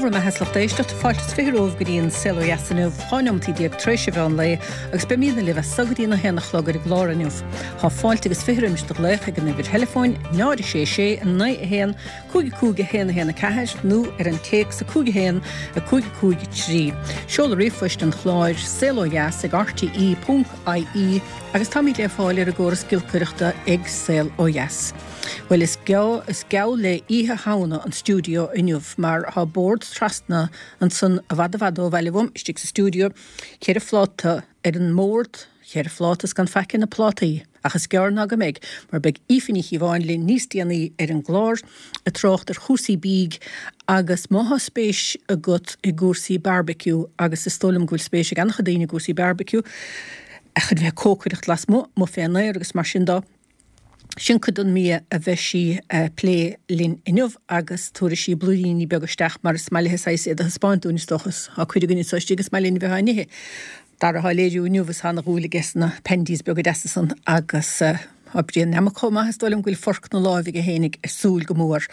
bhur mbeatha is lucht éisteachta, fáilte is 20 romhaibh go dtí an Saol Ó Dheas inniu, 12 neomatí tar éis an mheán lae, agus beimidne libh as so go dtí an 1 a chlog ar an gclár inniu. Tá fáilte agus 20 roimis do ghlaoch ag an uimhir theileafóin 0 6 6 9 1 5 5 1 1 4 nó ar an téacs 5 1 5 5 3. Seoladh ríomhphoist an chláir, saolodheas ag rte ponc ie agus táimid le fáil ar an gcóras giolcaireachta ag Saol Ó Dheas. Bhuel, is is geall le Oíche Shamhna an stiúideo inniu mar tá bord trasna ansan i bhfad i bhfad ó bhaile uaim, istigh sa stiúideo, cheithre phláta ar an mbord, cheithre phláta is gan faic ar na plátaí, ach is gearr ná go mbeidh, mar beidh Aoife Ní Chíobháin linn níos déanaí ar an gclár ag trácht ar chúrsaí bídh agus má thá spéis agat i gcúrsaí barbecue, agus is dóigh liom go bhfuil spéis ag an-chuid daoine i gcúrsaí barbecue, ach chun bheith ag cócaireacht lasmuigh, amuigh fén aer agus mar sin dó. Sin cuid den mbia a bheidh sí a plé linn inniu agus tabharfaidh sí blúiríní beaga isteach mar is maith léi saghas iad a thaispeáint dúinn is dócha. Tá cuid againn anseo istigh is maith linn a bheith á n-ithe. Dara thá léiriú inniu is thá ana dhúil aige sna pandies beaga deasa san agus tá Brian Nammock chomh maith is dóigh liom go bhfuil forc 'na láimh aige fhéinig ag súil go mór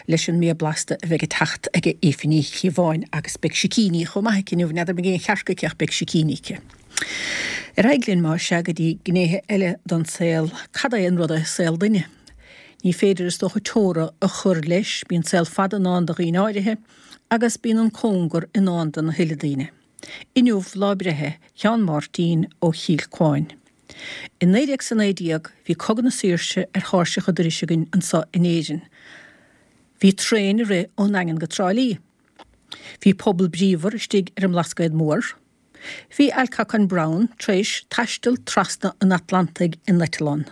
leis an mbia blasta a bheidh ag teacht ag Aoife Ní Chíobháin agus beidh sicíní chomh maith aici inniu. N'fheadar an mbeidh aon chearc aici ach beidh sicíní aici. Ar aghaidh linn, más ea, go dtí gnéithe eile den saol. Cad é an rud é saol duine? Ní féidir, is dócha, teora a chur leis. Bíonn saol fada i ndán do dhaoine áirithe agus bíonn an cóngar i ndán do na huile daoine. Inniu lá breithe Sheáin Mháirtín ó Chill Cuáin. I 1919 bhí Cogadh na Saoirse ar thairseach an dorais againn anso in Éirinn. Bhí traein ag rith ón nDaingean go Trá Lí. Bhí pobal bríomhar istigh ar an mBlascaod Mór. Bhí Alcock and Brown tar éis taisteal trasna an Atlantaigh in eitleán.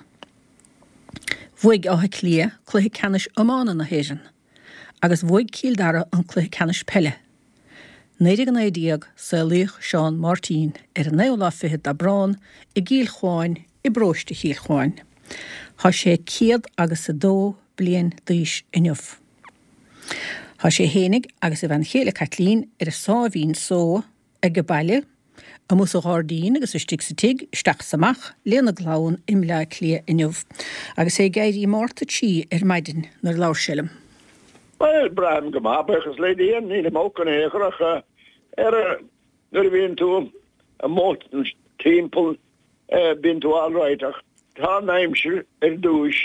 Bhuaigh Áth Cliath cluiche ceannais iomána na hÉireann agus bhuaigh Cill Dara an cluiche ceannais peile. 1919, Saolaíodh Seán Máirtín ar an naoú lá fichead d'Aibreán i gCill Chuáin i bparóiste Chill Chuáin. Tá sé céad agus a dó bliain d'aois inniu. Tá sé fhéinig agus a bhean chéile Caitlín ar a sáimhín só age baile, amuigh sa ghairdín agus istigh sa tigh, isteach is amach, lena gclann i mBleá Cliath inniu. Agus é ag éirí Márta 3 ar maidin nuair a labhair sé liom. Bhuel, braithim go maith, buíochas le Dia, nílim olc in aon chor ach ar nuair a bhíonn tú amuigh timpeall bíonn tú alright ach tá an aimsir ar dtúis,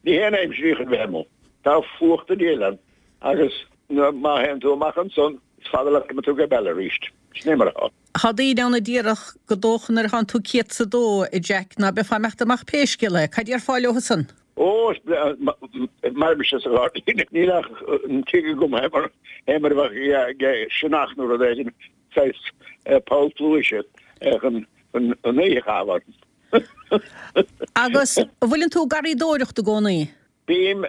ní hé an aimsir í chun bheith amuigh, tá fuacht an diabhail ann agus má théann tú amach ansan is fada leat go mbeidh tú ag baile arís. Sin é mar atá. Tá daoine ann a déarfadh gur dócha nuair atánn tú céad 's a dó, a Jack, ná beifeá ag imeacht amach pé scéal é. Cad déarfá leo san? Ó, is breá, mar mise sa ghairdín, níl ach an tigh agam é mar é mar a bheadh ag sionnach nó rud éigin, saghas poll pluaise chun an oíche a chaitheamh ann. Agus an bhfuileann tú ag garraíodóireacht i gcónaí? Bím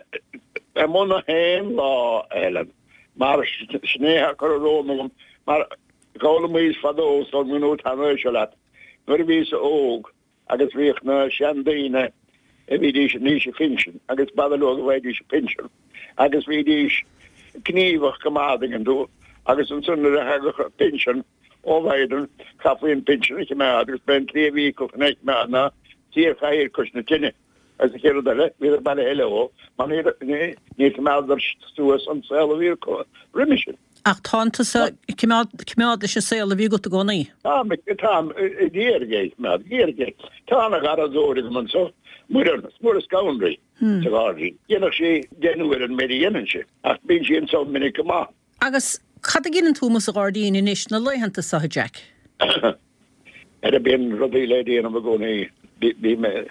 amuigh na haon lá a Helen, mar sin é atá curtha romham agam, mar d'fhoghlaimíos fadó is ón ngnó tanaí seo leat, nuair a bhíos óg, Agus bhíodh na seandaoine a bhídís in aois a phinsin agus b'fhada leo go bhfaighidís a bpinsean agus bhídís gníomhach go maith, an dtuigeann tú, agus ansan nuair a thagadh an pinsean ó Bhiden chaithfí an pinsean a choimeád agus b'é an tslí a bhí acu chun é a choimeád ná suí ar chathaoir cois na tine. Agus an chéad rud eile, bhíodar bailithe leo mar níor choimeádadar suas an saol a bhí acu roimhe sin. Ach tánn tusa ag coimeád leis an saol a bhí agat i gcónaí. Táim, táim ag iarraidh é a choimeád, ag iarraidh é. Tá ana-gharraíodóir agam anso, Muireann, Muireann Scanraí, sa ghairdín. Dhéanfadh sí deich n-uaire an méid a dhéanann sí, ach bíonn sí anso minic go maith. Agus cad a dheineann tú amuigh sa ghairdín anois na laethanta seo, a Jack? Ara bíonn rudaí le déanamh i gcónaí. Bím ag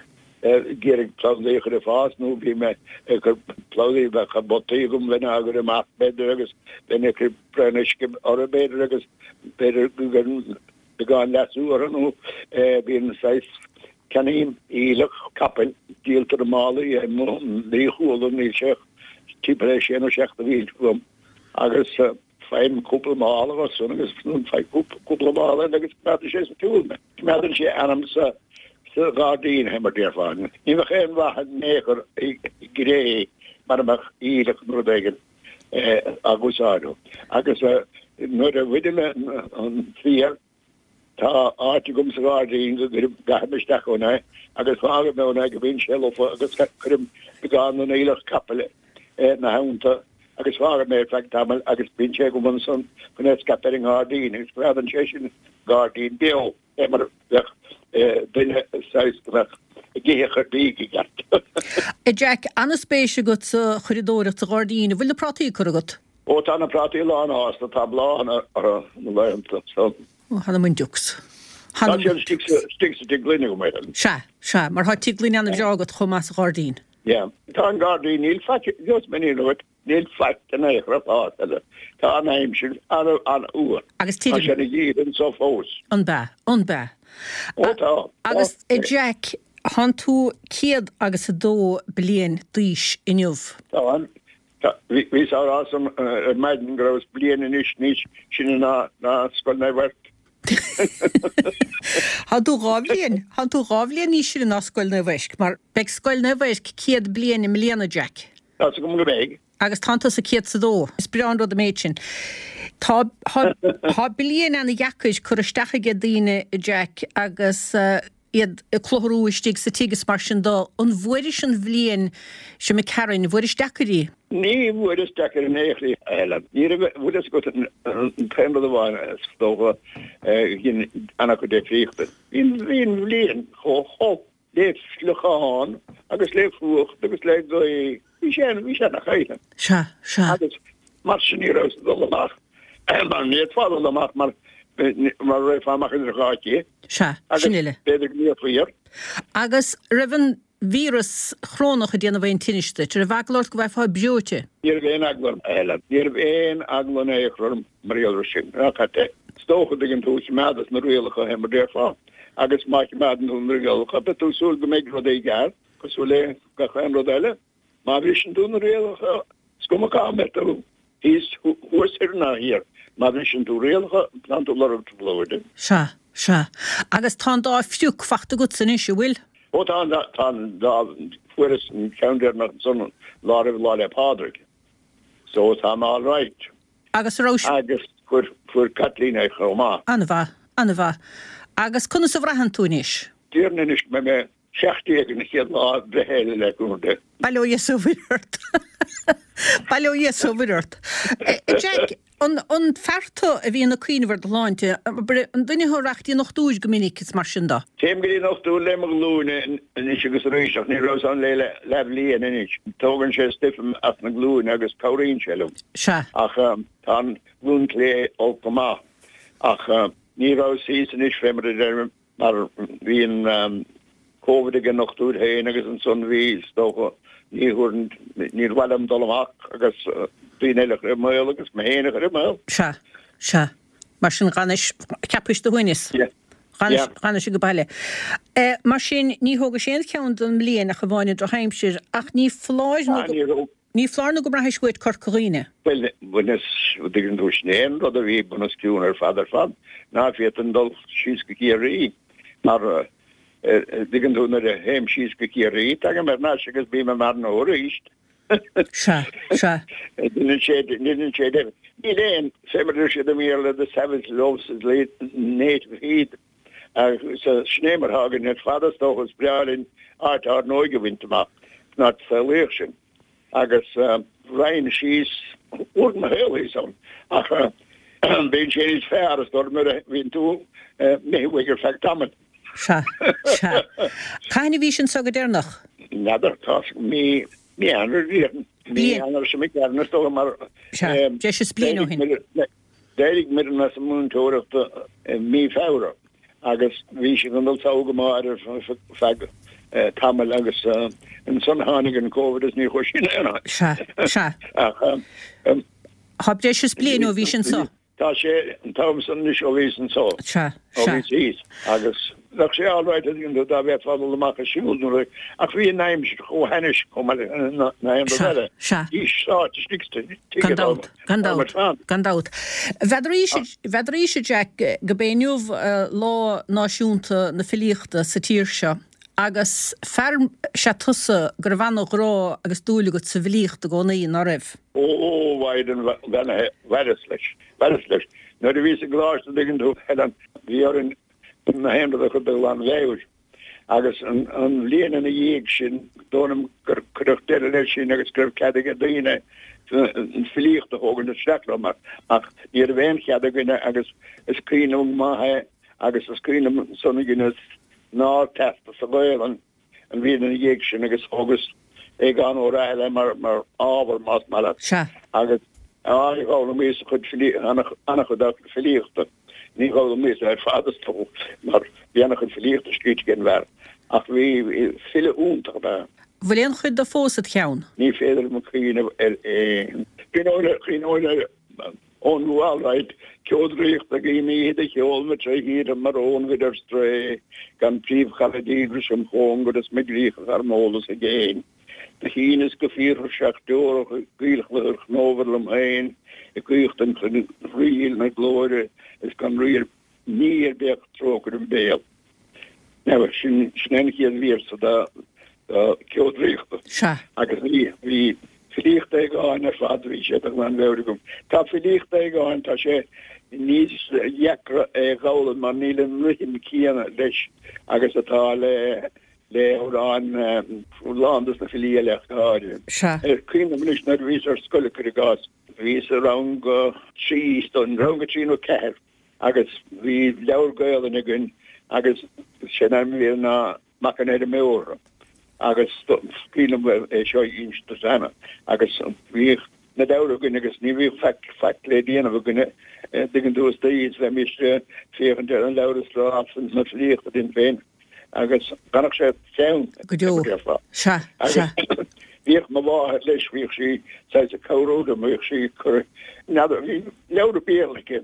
iarraidh plandaí a chur ag fás nó bím ag cur plandaí, bheadh potaí agam bheinn á gcur amach b'fhéidir agus bheinn ag cur braon uisce orthu b'fhéidir agus b'fhéidir go gcuirfinn beagán leasú orthu nó bíonn saghas ceannaím aoileach capaill, díoltar i málaí é, ní chuala, níl sé ach timpeall ar sé nó seacht a bhí agam agus Faighim cúpla mála dhó san agus faigh cúpla mála eile agus coimeádann sé sa tsiúl mé. Coimeádann sé anam sa sa ghairdín é mar déarfá. Ní bheadh aon mhaith in aon chor i gcré mara mbeadh aoileach nó rud éigin á úsáid. Agus nuair a bhainim an féar Tá áit agam sa ghairdín go gcuirim, gcaithim isteach ann é agus fágaim ann é go mbíonn sé lofa agus cuirim beagán den aoileach capaill ina theannta. agus fágaim é ar feadh tamaill agus bíonn sé agam ansan chun é a scaipeadh ar an ngairdín agus coimeádann sé sin an gairdín beo fé mar a bheadh duine saghas go mbeadh ag ithe a chuid bídh i gceart. A Jack, an-spéis agat sa churadóireacht sa ghairdín. An bhfuil na prátaí curtha agat? Ó tá na prátaí lánfhásta, tá bláthanna orthu na laethanta so. Ó, th'anam 'on diucs. Tá siad istigh sa tigh gloine agam, Helen. Sea, sea, mar tá tigh gloine an-bhreá agat chomh maith sa ghairdín. Yeah. Tá an gairdín, níl faic, just m'iníon uait, níl faic in aon chor ag fás, Helen. Tá an aimsir an-fhuar. Agus tirim. Tá sé ina gheimhreadh anso fós. An b'ea, an b'ea. Ó tá. Agus, a Jack, thánn tú 102 bliain d'aois inniu. Tá. Bhíos á rá san ar maidin go rabhas bliain anois níos sine ná Scoil Naomh Eirc. Thánn tú 2 bhliain, thánn tú 2 bhliain níos sine ná Scoil Naomh Eirc, mar beidh Scoil Naomh Eirc 100 bliain i mbliana, Jack. Tá's agam go mbeidh. Agus tánn tusa 102. Is breá an rud an méid sin. Tá, tá, tá bliain ana-dheacair curtha isteach aige daoine, Jack, agus iad ag clutharú istigh sa tigh is mar sin de. An bhfuairis an bhliain seo imigh tharainn, an bhfuairis deacair í? Ní bhfuaireas deacair in aon chor í, a Helen. Ní raibh, bhfuil fhios agat, an t-aon rud amháin is dócha a dhein an-chuid difríochta. Bhí an bhliain chomh holc le fliuchán agus le fuacht agus le gaoth. Bhí sé, bhí sé ana-chaoin. Sea, sea. Agus mar sin ní rabhas ag dul amach, mar ní fhéadfá dul amach mar, mar raghfá amach idir dhá thigh. Sea, sin uile. Agus b'fhéidir go mbeifí air. Agus raibh an víreas chorónach ag déanamh aon tinnis duit? Raibh eagla ort go bhfaighfeá breoite? Ní raibh aon eagla orm, a Helen. Ní raibh aon eagla in aon chor orm mar gheall air sin. Ach is dócha, dtuigeann tú, choimeádas na rialacha, fé mar déarfá. Agus má choimeádann tú na rialacha, beidh tú ag súil go mbeidh rudaí i gceart. Cosúil le gach aon rud eile, má bhriseann tú na rialacha, is cuma cá mbeidh tú, thíos, thuas, thoir ná thiar, má bhriseann tú rialacha, tánn tú ag lorg trioblóide. Sea, sea. Agus tá an dá phrioc fachta agatsa anois, an bhfuil? Ó tá an dá, tá an dá, fuaireas an ceann deireanach ansan lá roimh Lá 'le Pádraig. So tá mé all right. Agus a raibh. Agus fuair, fuair Caitlín é chomh maith. An-mhaith, an-mhaith. Agus conas a bhraitheann tú anois? Déarfainn anois go mbeidh mé 17 an chéad lá breithe eile le cúnamh Dé. Bail ó Dhia 's ó Mhuire ort. Bail ó Dhia 's ó Mhuire ort. Jack, an an fear tú a bhíonn ag cuimhneamh ar do shláinte, an duine thú a rachadh go dtí an dochtúir go minic is mar sin de? Téim go dtí an dochtúir le mo ghlúine anois agus arís ach ní rabhas ann le leathbhliain anois. Tógann sé stuif as na glúine agus cabhraíonn sé liom. Sea. Ach tá an ghlúin chlé olc go maith. Ach ní rabhas thíos anois fé mar a deirim. Mar bhí an Covid ag an ndochtúir féin agus ansan bhí, is dócha, ní thabharfainn, níor mhaith liom dul amach agus daoine eile a chur i mbaol agus mé féin a chur i mbaol. Sea, sea. Mar sin dh'fhanais, cheapais do shuaimhneas. Yeah. Dh'fhanais, dh'fhanais age baile. Mar sin ní thógais aon cheann don mbliain ach amháin an drochaimsir ach ní foláir nó go. Ah, ní raibh. Ní foláir nó go mbraithis uait Corca Dhuibhne. Bhuel, bhaineas, an dtuigeann tú, sin é an rud a bhí bunoscionn ar fad ar fad, ná féadfainn dul síos go Ciarraí, mar, an dtuigeann tú, nuair a théim síos go Ciarraí, tagaim thar n-ais agus bím i m'fhear gnó arís. Sea, sea. Deineann sé, deineann sé deifir. Níl aon, fé mar a deir siad i mBéarla, the savage loves his native heath. Agus sin é mar atá againn ar fad, is dócha, is breá linn áit ár n-óige a bhaint amach, san áit a saolaíodh sinn. Agus raghainn síos, uair mo shaol thíos ann, ach bíonn sé níos fearr, is dóigh, nuair a bhíonn tú imithe uaidh ar feadh tamaill. Sea, sea. Cathain a bhís anso go deireanach? N'fheadar, tá mí, mí Eanáir, déarfainn. Mí Eanáir seo imigh tharainn, is dócha, mar. Sea, deis is bliain ó shin. D'éirigh Muireann as an múinteoireacht i mí Feabhra agus bhí sí chun dul sall go Máire ar feadh tamaill agus ansan tháinig an Covid agus ní chuaigh sí in aon áit. Sea, sea. Ach. Tá breis is bliain ó bhís anso. Tá sé an t-am san anois ó bhíos anso. Sea, sea. Ó bhíos thíos. Agus bheadh sé all right dá bhféadfá dul amach ag siúl nó rud, ach bhí an aimsir chomh hainnis chomh maith le na haon rud eile. Sea, sea. Bhí sáite istigh sa tigh Gan dabht, gan dabht, gan dabht. N'fheadaraís, a Jack, go b'é inniu Lá Náisiúnta na Filíochta sa tír seo agus fear is ea tusa go raibh ana-ghrá agus dúil agat sa bhfilíocht i gcónaí, ná raibh? Ó, a Mhaighdean bheannaithe, mhaireas leis, mhaireas leis. Nuair a bhíos i gcoláiste, an dtuigeann tú, Helen, bhí orainn na haon rud a chur de ghlanmheabhair. Agus an bhliain ina dhiaidh sin, dóigh liom gur cuireadh deireadh leis sin agus go raibh cead ag daoine. an filíocht a thógaint isteach liom ach ní raibh aon chead againne agus is cuimhin liom go maith é agus is cuimhin liom ansan a dheineas an Ardteastas sa Ghaelainn an bhliain ina dhiaidh sin agus thógas Aogán Ó Rathaille mar mar ábhar más maith leat. Sea. Agus á d'fhoghlaimíos a chuid filí an-chuid dá chuid filíochta. Ní dh'fhoghlaimíos é ar fad is dócha mar bhí an-chuid filíochta scríte ag an bhfear ach bhí file iontach ab ea. Bhfuil aon chuid de fós id cheann? Ní féidir liom cuimhneamh ar aon. Cuimhneoinn ar Eoin Rua alright, Ceo draíochta guím oíche de cheol na tré thíortha mar ónghaid ar strae, gan príomhchara díograis im chóngar is mo gcríocha thar m'eolas i gcéin. Do shíneas go fíorthuirseach deorach i gcaolchluthar chnómhar liom féin ag caochtan chun ríl na glóire is gan riar ní ar bith ach trócaire im béal. Now, sin, sin é an chéad véarsa de, de Ceo Draíochta. Sea. Agus bhí, bhí filíocht Aogáin ar fad, bhí sé de ghlanmheabhair agam. Tá filíocht Aogáin, tá sé níos deacra é a dh'fhoghlaim mar níl an rithim céanna leis agus atá le, le amhráin lán dos na filí eile ach go háirithe. Sea. Cuimhním anois nuair a bhíos ar scoil, cuir i gcás, bhíos i rang a trí, rang a trí nó ceathair, Agus bhí leabhar Gaolainne againn agus sé an ainm a bhí air ná Mac an Fheirmeora agus is cuimhin liom é seo a inse duit cheana agus bhíodh na leabhair againn agus ní bhíodh faic, faic le déanamh againne, dtuigeann tú, istoíche is bheimis ag féachaint ar an leabhar is ag rá na filíochta linn féin agus d'fhanadh sé cheann Go deo. déarfá. Sea, sea. Agus bhíodh mo mháthair leis, bhíodh sí saghas ag cabhrú liom, bhíodh sí ag cur, n'fheadar, bhí leabhar Béarla aici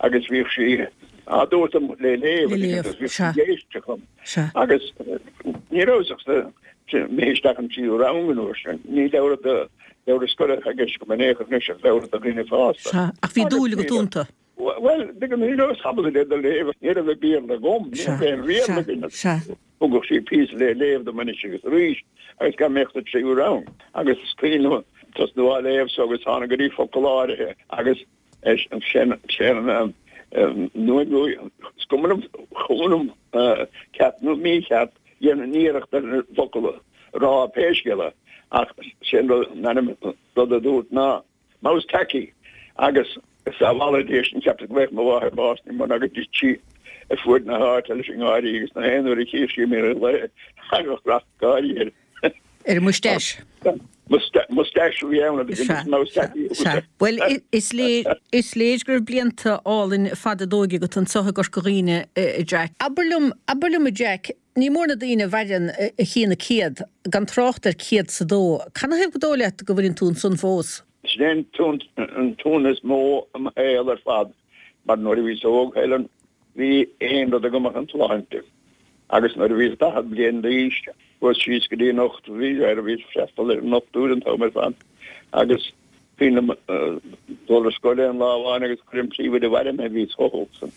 agus bhíodh sí á dtabhairt dom le léamh Le léamh, agus bhíodh sí ag éisteacht liom. Sea. Agus ní rabhas ach sa, mé isteach an tríú rang an uair sin. Ní leabhar do, leabhar scoile atá i gceist agam in aon chor anois ach leabhar do dhaoine fásta. Sea, ach bhí dúil agat iontu. Bhuel, tuigeann, ní rabhas ábalta iad a léamh, ní raibh Béarla agam, ní raibh aon Bhéarla againn. Sea, sea. Thugadh sí píosa le léamh dom anois agus arís agus go mbeadh sa tríú rang. Agus is cuimhin liom tosnú á léamh so agus tháinig go dtí focal áirithe agus sin sin nuair is cuma liom cuma liom ceart nó mícheart dhéanfainn iarracht ar an bhfocal a rá pé scéal é ach sin rud an ainm rud a dúirt ná Mouse tacky agus sábhála Dia sinn cheapas go bhfaigheadh mo mháthair bás ní mó ná go dtit sí ar fuaid na háite leis an ngáirí agus na haon uair a chíodh sí mé ar lae thagadh racht gáirí air. Ar an moustache. Moustache a bhí ann agus Sea, mouse tacky a sea. Bhuel, is léir, is léir go raibh blianta álainn fada d'óige agat anseo i gCorca Dhuibhne, a Jack. Abair liom, abair liom a Jack, Ní mór na daoine a mhaireann a chíonn a 100, gan trácht ar 102. Canathaobh gur dóigh leat go bhfuileann tú ansan fós? Sin é an t-ionadh is mó i mo shaol ar fad, mar nuair a bhíos óg, Helen, bhí aon rud agam ach an tsláinte. Agus nuair a bhíos 40 bliain d'aois, chuas síos go dtí an dochtúir, bhí air, bhíos ag freastal ar an ndochtúir an t-am ar fad, agus Cuimhin liom dul ar scoil aon lá amháin agus chuir an príomhoide abhaile mé, bhíos chomh holc san.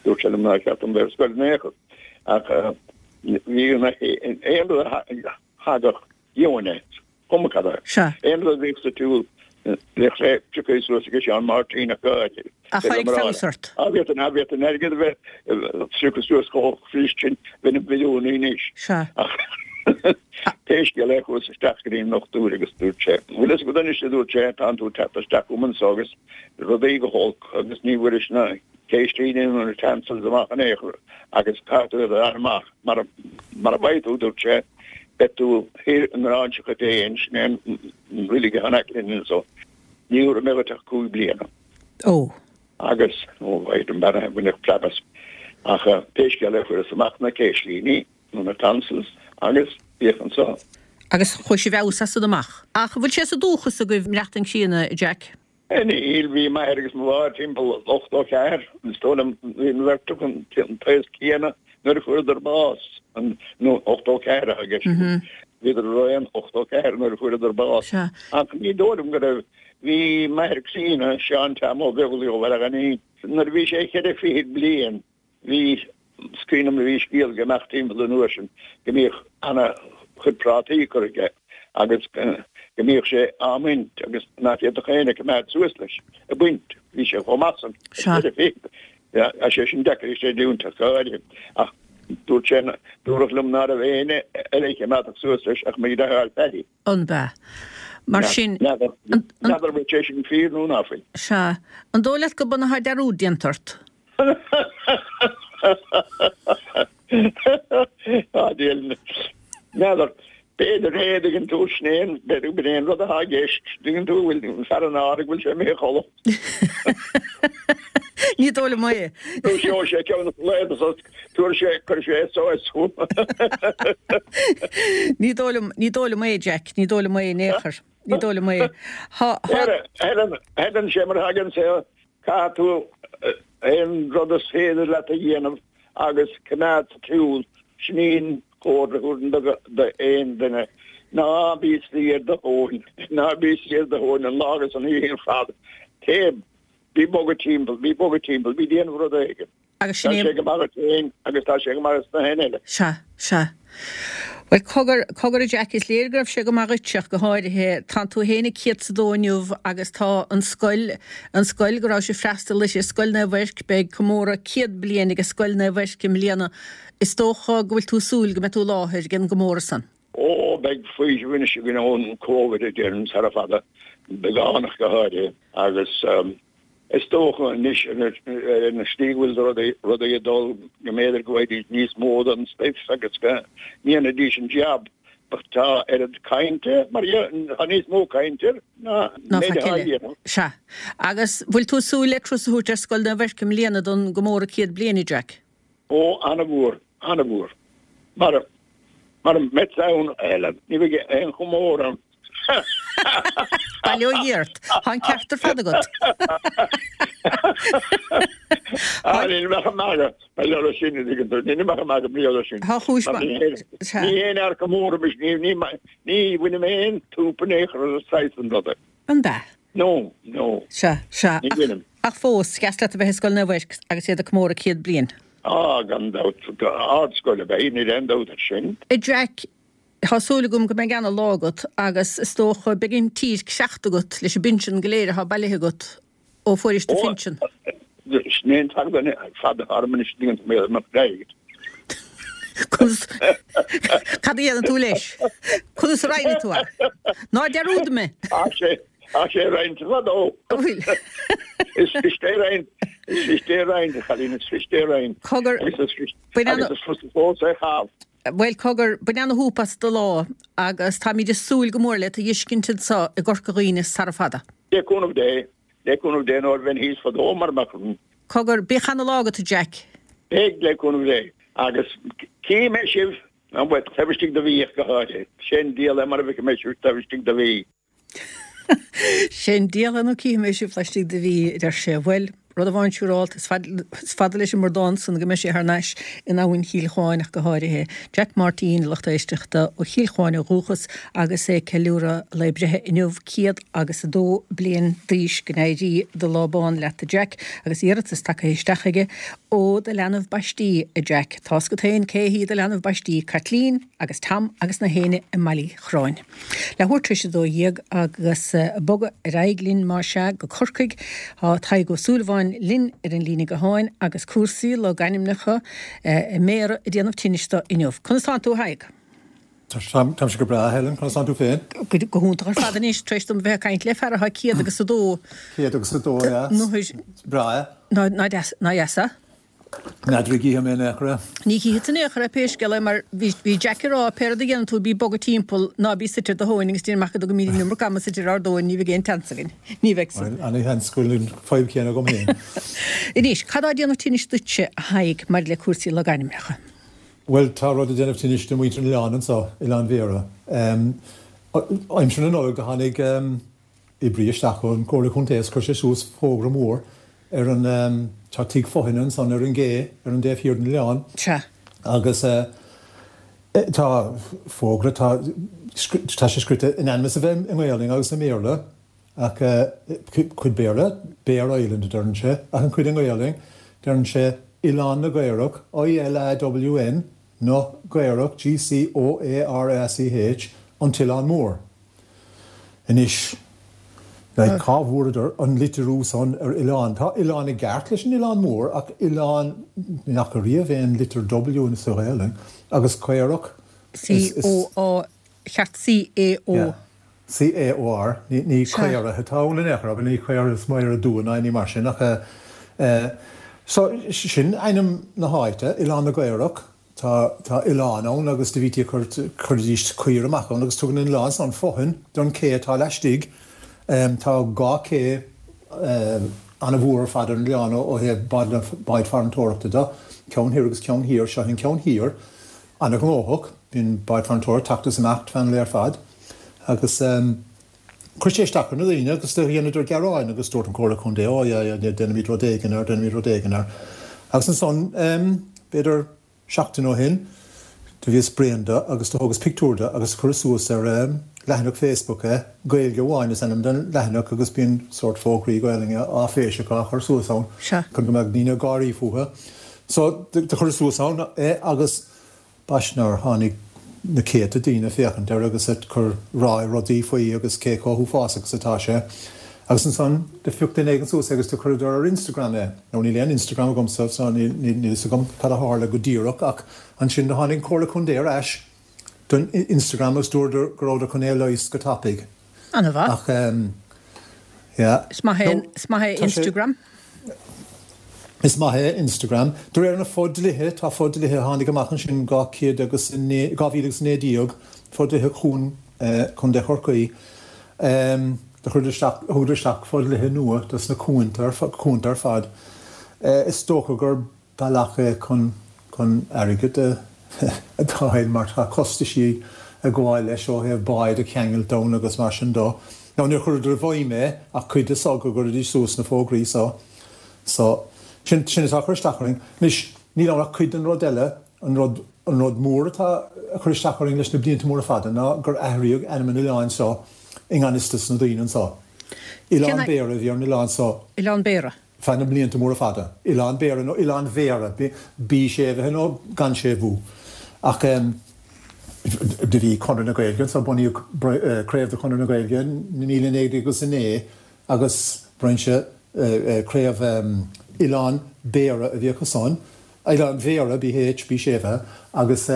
Dúirt sé liom nár cheart dom bheith ar scoil in aon chor. Ach bhí aon rud a thagadh, gheobhainn é, cuma cad é. Sea. Aon rud a bhíodh sa tsiúl, bhíodh sé pioctha suas ag Seán Máirtín ach go háirithe. Ach tháinig feabhas ort. Á bhí an airgead a bheith pioctha suas chomh fuirist sin, bheinn im mhilliúnaí anois. Sea. Ach pé scéal é chuas isteach go dtí an ndochtúir agus dúirt sé, bhfuil fhios agat anois a dúirt sé, tánn tú ag teacht isteach chugam anso agus rudaí go holc agus ní bhfuairis na céislíní nó na tonsils amach in aon chor agus caithfidh tú iad a fháil amach mara mara bhfaighidh tú, dúirt sé, beidh tú thoir i nGráinseach an Déin, sin é an roilig atá in aice linn anso, ní thabharfaidh mé dhuit ach 5 bliana. Ó. Agus, ó, mhaith an bean a bhainfeadh preab as. Ach pé scéal é fuaireas amach na céislíní nó na tonsils agus bhíodh anso. Agus chuaigh sé i bhfeabhas as san amach. Ach an bhfuil sé sa dúchas agaibh maireachtaint críonna, a Jack? Níl, bhí m'athair agus mo mháthair timpeall 84, is dóigh liom, bhí an bheirt acu an t-aos céanna nuair a fuaireadar bás, nó 84 atá i gceist. Bhíodar araon 84 nuair a fuaireadar bás. Ach ní dóigh liom go raibh, bhí m'athair críonna, Seán Tom Ó Beaglaoich ó Bhaile Ghainín, nuair a bhí sé cheithre fichid bliain, Bhí, is cuimhin liom bhí scéal ag imeacht timpeall an uair sin go mbíodh ana chuid prátaí curtha aige agus go mbíodh sé á mbaint agus ná féadfadh éinne coimeád suas leis ag baint, bhí sé chomh maith san Sea. Tá sé sin deacair a chreidiúint ach go háirithe. Ach dúirt sé, dúradh liom ná raibh éinne eile a choimeádfadh suas leis ach mo dheartháir Paddy. An b'ea? Mar sin. N'fheadar an bhfuil sé sin fíor nó ná fuil. Sea. An dóigh leat go b'ionann atá dearúd déanta ort? Á, níl. N'fheadar. B'fhéidir é, dtuigeann tú, sin é an, b'fhéidir gurb é an rud atá i gceist, dtuigeann tú, bhfuil an fear an áir go bhfuil sé imithe a chodladh. Ní dóigh liom é. Dúiseoidh sé ceann lae agus tabharfaidh sé, cuirfidh sé SOS chugam. Ní dóigh liom, ní dóigh liom é, Jack, ní dóigh liom é in aon chor. Ní dóigh liom é. Thá, thá. Helen, Helen, sé mar a thagann sé, caithfidh tú aon rud is féidir leat a dhéanamh agus coimeád sa tsiúl, sin í an chomhairle a thabharfainn d'aon duine, ná bí suí ar do thóin, ná bí suí ar do thóin an lá agus an oíche ar fad, téigh, bí bogadh timpeall, bí bogadh timpeall, bí déanamh rud éigin. Agus sin é. Tá sé go maith duit féin agus tá sé go maith dos na héinne eile. Sea, sea. Bhuel, cogar, cogar a Jack, is léir go raibh sé go maith dhuitse ach go háirithe. Tánn tú fhéin ag céad 's a dó inniu agus tá an scoil, an scoil go rabhais ag freastal uirthi, Scoil Naomh Eirc, beidh comóradh 100 bliain ag Scoil Naomh Eirc i mbliana. Is dócha go bhfuil tú ag súil go mbeidh tú i láthair ag an gcomóradh san. Ó, beidh faoiseamh anois againn ón Covid a déarfainn, sara fada, beagán ach go háirithe, agus Is dócha anois ar an slí go bhfuil rudaí ag dul go mb'fhéidir go bhfaighidís níos mó den stuif agus go ndéanfaidís an jab ach tá oiread cainte mar tá níos mó cainte air ná an méid atá á dhéanamh. Sea. Agus bhfuil tú ag súil le turas a thabhairt ar Scoil Naomh Eirc i mbliana don gcomóradh 100 bliain, a Jack? Ó, ana-mhór, ana-mhór. Mara, mara mbeadh ann, a Helen, ní bheidh aon chomóradh ann. Bail ó Dhia ort. Tá an ceart ar fad agat. Á, níl mé ag magadh, mar gheall air sin, an dtuigeann tú, níl mé ag magadh mar gheall air sin. Tá chúis maith. Ní haon fhear comórtha mise, ní, ní, ní bhainim aon tsúp in aon chor as an saghas san ruda. An ea? No, no. Sea, sea. Ní bhainim. Ach fós, is deas leat a bheith i Scoil Naomh Eirc agus iad ag comóradh 100 bliain. Á, gan dabht, ardscoil ab ea í, níl aon dabht air sin. A Jack, tá súil agam go mbeidh ana-lá agat agus is dócha beidh an tír cleachta agat leis an bpinsean go léir atá bailithe agat ó fuairis do phinsean. Ó, sin é an t-agam fada orm anois, an dtuigeann tú mé, mo chreid. Conas, cad a dhéanann tú leis? Conas a roinnfidh tú é? Ná dearúd mé! Tá sé, tá sé roinnte fadó. An bhfuil? Is fusa é roinnt, is fusa é roinnt, a chailín, is fusa é roinnt. Cogar, Agus is fusa, agus is fusa fós é chaitheamh. Bhuel, cogar, bain ana-shúp as do lá agus táimid ag súil go mór le tú a fheiscint anseo i gCorca Dhuibhne sara fada. Le cúnamh Dé, le cúnamh Dé nó bheinn thíos fadó mara mbeadh. Cogar, bíodh ana-lá agat, a Jack. Beidh, le cúnamh Dé. Agus cífidh mé sibh, bhuel, taobh istigh de mhí ach go háirithe. Sé an diabhal é mara bhfeicfidh mé sibh taobh istigh de mhí. Sé an diabhal é nó cífidh mé sibh laistigh de mhí, a deir sé. Bhuel, rud amháin siúrálta, is fada leis an mbradán san go mbeidh sé thar n-ais in Abhainn Chill Chuáin ach go háirithe. Jack Máirtín, a lucht éisteachta, ó Chill Chuáin ó dhúchas agus é ag ceiliúradh a lae breithe inniu, 102 bliain d'aois. Go n-éirí do lá bán leat, a Jack, agus iarratas tagtha isteach aige ó do leanbh baistí, a Jack. Tá's agat féin cé hí do leanbh baistí, Caitlín agus Tom agus na héinne i mBaile Uí Chorráin. Leathuair tar éis 12 agus bogadh ar aghaidh linn más ea go Corcaigh. Tá Tadhg Ó Súilleabháin linn ar an líne gutháin agus cúrsaí logainmneacha i mBéarra ag déanamh tinnis dó inniu. Conas tánn tú a Thaidhg? Táimse go breá, a Helen, conas tánn tú féin? Go hiontach ar fad anois, tar éis dom bheith ag caint le fear atá 102. 102, yeah. Is breá é. Ná deas, ná deas é? N'fheadar an gcífidh mé in aon chor é. Ní chífidh tú in aon chor é pé scéal é mar bhí Jack ag rá pé rud a dhéanann tú bí ag bogadh timpeall ná bí suite ar do thóin agus déan amach go mbíonn an iomarca ama suite ar ár dtóin ní bheidh aon tseans againn. Ní bheidh san. Bhuel, ana-sheans go bhfuil an fadhb chéanna agam féin. Anois, cad tá ag déanamh tinnis duitse, a Thaidhg, maidir le cúrsaí logainmneacha? Bhuel, tá rud ag déanamh tinnis do mhuintir an oileáin anseo, Oileán Bhéarra. Aimsir na Nollag do tháinig oibrí isteach ón Chomhairle Contae is chuir sé suas fógra mór ar an, tá tigh fothaine ansan ar an gcé ar an dtaobh thiar den oileán. Sea. Agus tá fógra, tá, tá sé scrite in ainm is a bheith i nGaolainn agus i mBéarla ach cuid Béarla, Bear Island a deireann sé, ach an chuid i nGaolainn, deireann sé Oileán na gCaorach, I-L-A-W-N, na gCaorach, G-C-O-A-R-A-C-H, an tOileán Mór. Anois, like, cá bhfuaireadar an litriú san ar oileán? Tá oileán i gceart leis an Oileán Mór ach oileán, ní fhaca riamh aon litir W sa Ghaelainn, agus caorach, is, is. C-O-A, cheart C-A-O. Yeah. C-A-O-R, ní caora atá ann in aon chor, abair, ní caora is Máire Dua ná éinní mar sin ach eh so sin ainm na háite, Oileán na gCaorach, tá tá oileán ann agus do bhítí ag cur chuiridís caoire amach ann agus tugann an oileán san fothain don ché atá laistigh. Tá 2 ché ana-mhór ar fad ar an oileán ó thaobh báid farantóireachta de, ceann thoir agus ceann thiar, seo an ceann thiar, ana-ghnóthach, bíonn báid farantóireachta ag teacht is imeacht feadh an lae ar fad agus chuir sé isteach ar na daoine agus do dheineadar gearáin agus dúirt an Comhairle Contae, oh yeah, yeah, déanfaimid rud éigin air, déanfaimid rud éigin air. Agus ansan, b'fhéidir seachtain ó shin, do bhíos bréan de agus do thógas pictiúr de agus chuireas suas ar leathanach Facebook é, Gaeilge Amháin is ainm don leathanach agus bíonn sórt fógraí Gaelainne áiféiseacha á chur suas ann chun go mbeadh daoine ag gáirí fúthu. So, do chuireas suas ann é agus B'ait nár tháinig na céadta daoine féachaint air agus ag cur rá rudaí faoi agus cé chomh huafásach is atá sé. Agus ansan do phioc duine éigin suas é agus do chuireadar ar Instagram é. Now níl aon Instagram agamsa so níl fhios agam cad a tharla go díreach ach ansin do tháinig an Comhairle Contae ar ais don Instagram agus dúradar go rabhadar chun é a leigheas go tapaidh. An-mhaith. Ach ehm yeah. Is maith é, is maith é Instagram. Is maith é Instagram. De réir na fo-dlíthe, tá fo-dlíthe a tháinig amach ansin 200 agus 2019, fo-dlíthe Chuan Contae Chorcaí, do chuireadar isteach, thugadar isteach fo-dlíthe nua dos na cuanta, cuanta ar fad. Is dócha gur bealach é chun chun airgead a fháil mar tá costaisí ag gabháil leis ó thaobh báid a cheangailt ann agus mar sin dó. Now níor chuireadar i bhfeidhm é ach cuid de so go gcuiridís suas na fógraí so. So, sin sin atá ag cur isteach orainn. Anois, níl ann ach cuid den rud eile, an rud an rud mór atá ag cur isteach orainn leis na blianta móra fada ná gur athraíodh ainm an oileáin so i ngan fhios dos na daoine anso. Oileán Béara a bhí ar an oileán so. Oileán Béara. feadh na mblianta móra fada. Oileán Béara nó Oileán Bhéara, B séimhithe nó gan séimhiú. Ach do bhí Conradh na Gaeilge anso, bunaíodh craobh de Chonradh na Gaeilge i 1909 agus brainse craobh Oileán Béara a bhí acu san, Oileán Bhéara, BH, B séimhithe, agus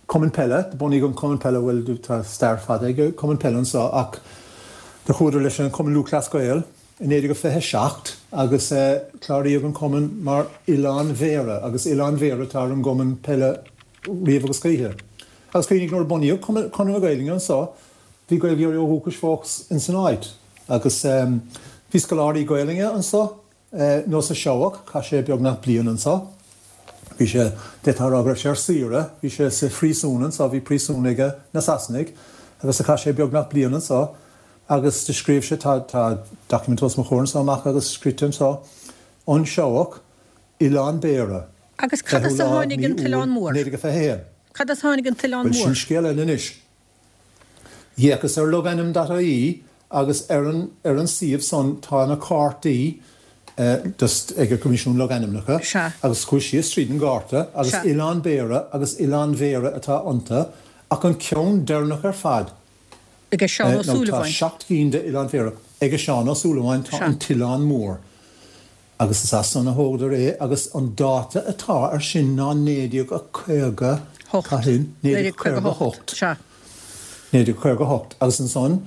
Cumann Peile, do bunaíodh an Cumann Peile, bhuel tá stair fada ag an Cumann Peile anso ach do chuadar leis an Cumann Lúthchleas Gael. I 1927 agus cláraíodh an cumann mar Oileán Bhéara agus Oileán Bhéara atá ar an gcumann peile riamh agus choíche. Agus cuimhnigh nuair a bunaíodh Conradh na Gaeilge anso bhí Gaeilgeoirí ó dhúchais fós ins an áit agus bhí scoláirí Gaelainne anso, Neasa Seabhac, chaith sé beagnach bliain anso. Bhí sé, d'fhéadfá a rá go raibh sé ar saoire, bhí sé sa phríosún anso, bhí príosún age na Sasanaigh agus do chaith sé beagnach bliain anso. Agus do scríobh sé, tá, tá document os mo chomhair anso amach agus scríte anso, An Seabhac, Oileán Béara, Agus cad 20ú as a lá tháinig mí an t-oileán Iúil, mór? 1921. Cad as a tháinig an t-oileán Bhuel, sin mór? scéal eile anois. D'fhéachas ar logainm dot ie agus ar an, ar an suíomh san tá na cártaí just ag an gCoimisiún Logainmneacha Sea. agus chuas síos tríd an gcárta agus Sea. Oileán Béara agus Oileán Bhéara atá iontu ach an ceann deireanach ar fad, Aige Seán Ó Nó tá Súilleabháin. 7 gcinn de Oileán Bhéara. Aige Seán Ó Súilleabháin tá an tOileán Mór agus is as san a thógadar é agus an dáta atá ar sin ná 1950, cathain? 1958. Sea. 1958. Agus ansan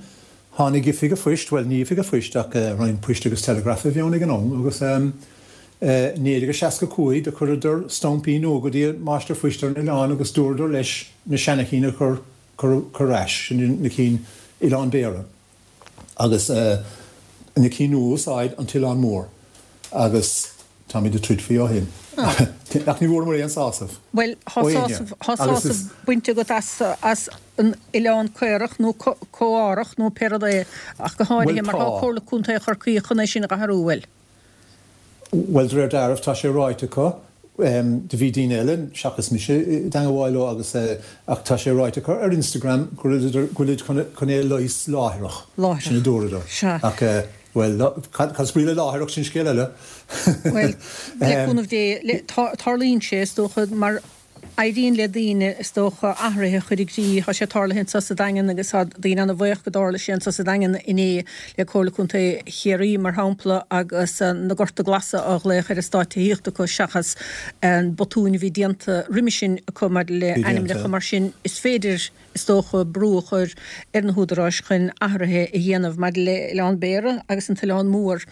tháinig Oifig a' Phoist, bhuel ní Oifig a' Phoist ach Roinn Poist agus Teileagraif a bhí ann ag an am agus 1965 do chuireadar stampaí nua go dtí an Máistir Phoist ar an oileán agus dúradar leis na seanachinn a chur cur ar ais, sin na cinn Oileán Béara agus na cinn nua a úsáid, an tOileán Mór agus táimid ag troid faoi ó shin. Ach ní bhfuaireamar aon sásamh Bhuel, thá ó éinne sásamh, thá agus sásamh is. bainte agat as, as an Oileán Caorach nó Comhárach nó pé rud é, ach go Bhuel háirithe mar tá. thá Comhairle Contae Chorcaí chun é sin a dh'athrú, bhuel. Bhuel, de réir dealraimh, tá sé ráite acu, do bhí daoine eile seachas mise i dteangabháil leo agus, ach tá sé ráite acu ar Instagram go bhfuilid chun é a leigheas láithreach. Láithreach. Sin a dúradar. Sea. Ach, bhuel, cad is brí le láithreach, sin scéal eile. Bhuel, le cúnamh Dé, tarlaíonn sé, is dócha, mar. Éiríonn le daoine, is dócha, athruithe a chur i gcrích. Tá sé tarlaithe anseo sa Daingean agus tá daoine ana-bhuíoch go dtarla sé anseo sa Daingean inné le Comhairle Contae Chiarraí, mar shampla, agus na Gorta Glasa á ghlaoch ar eastáit tithíochta acu seachas an botúin a bhí déanta roimhe sin acu maidir le hainmneacha. Mar sin, is féidir, is dócha, brú a chur ar na húdaráis chun athruithe a dhéanamh maidir le Oileán Béara agus an tOileán Mór.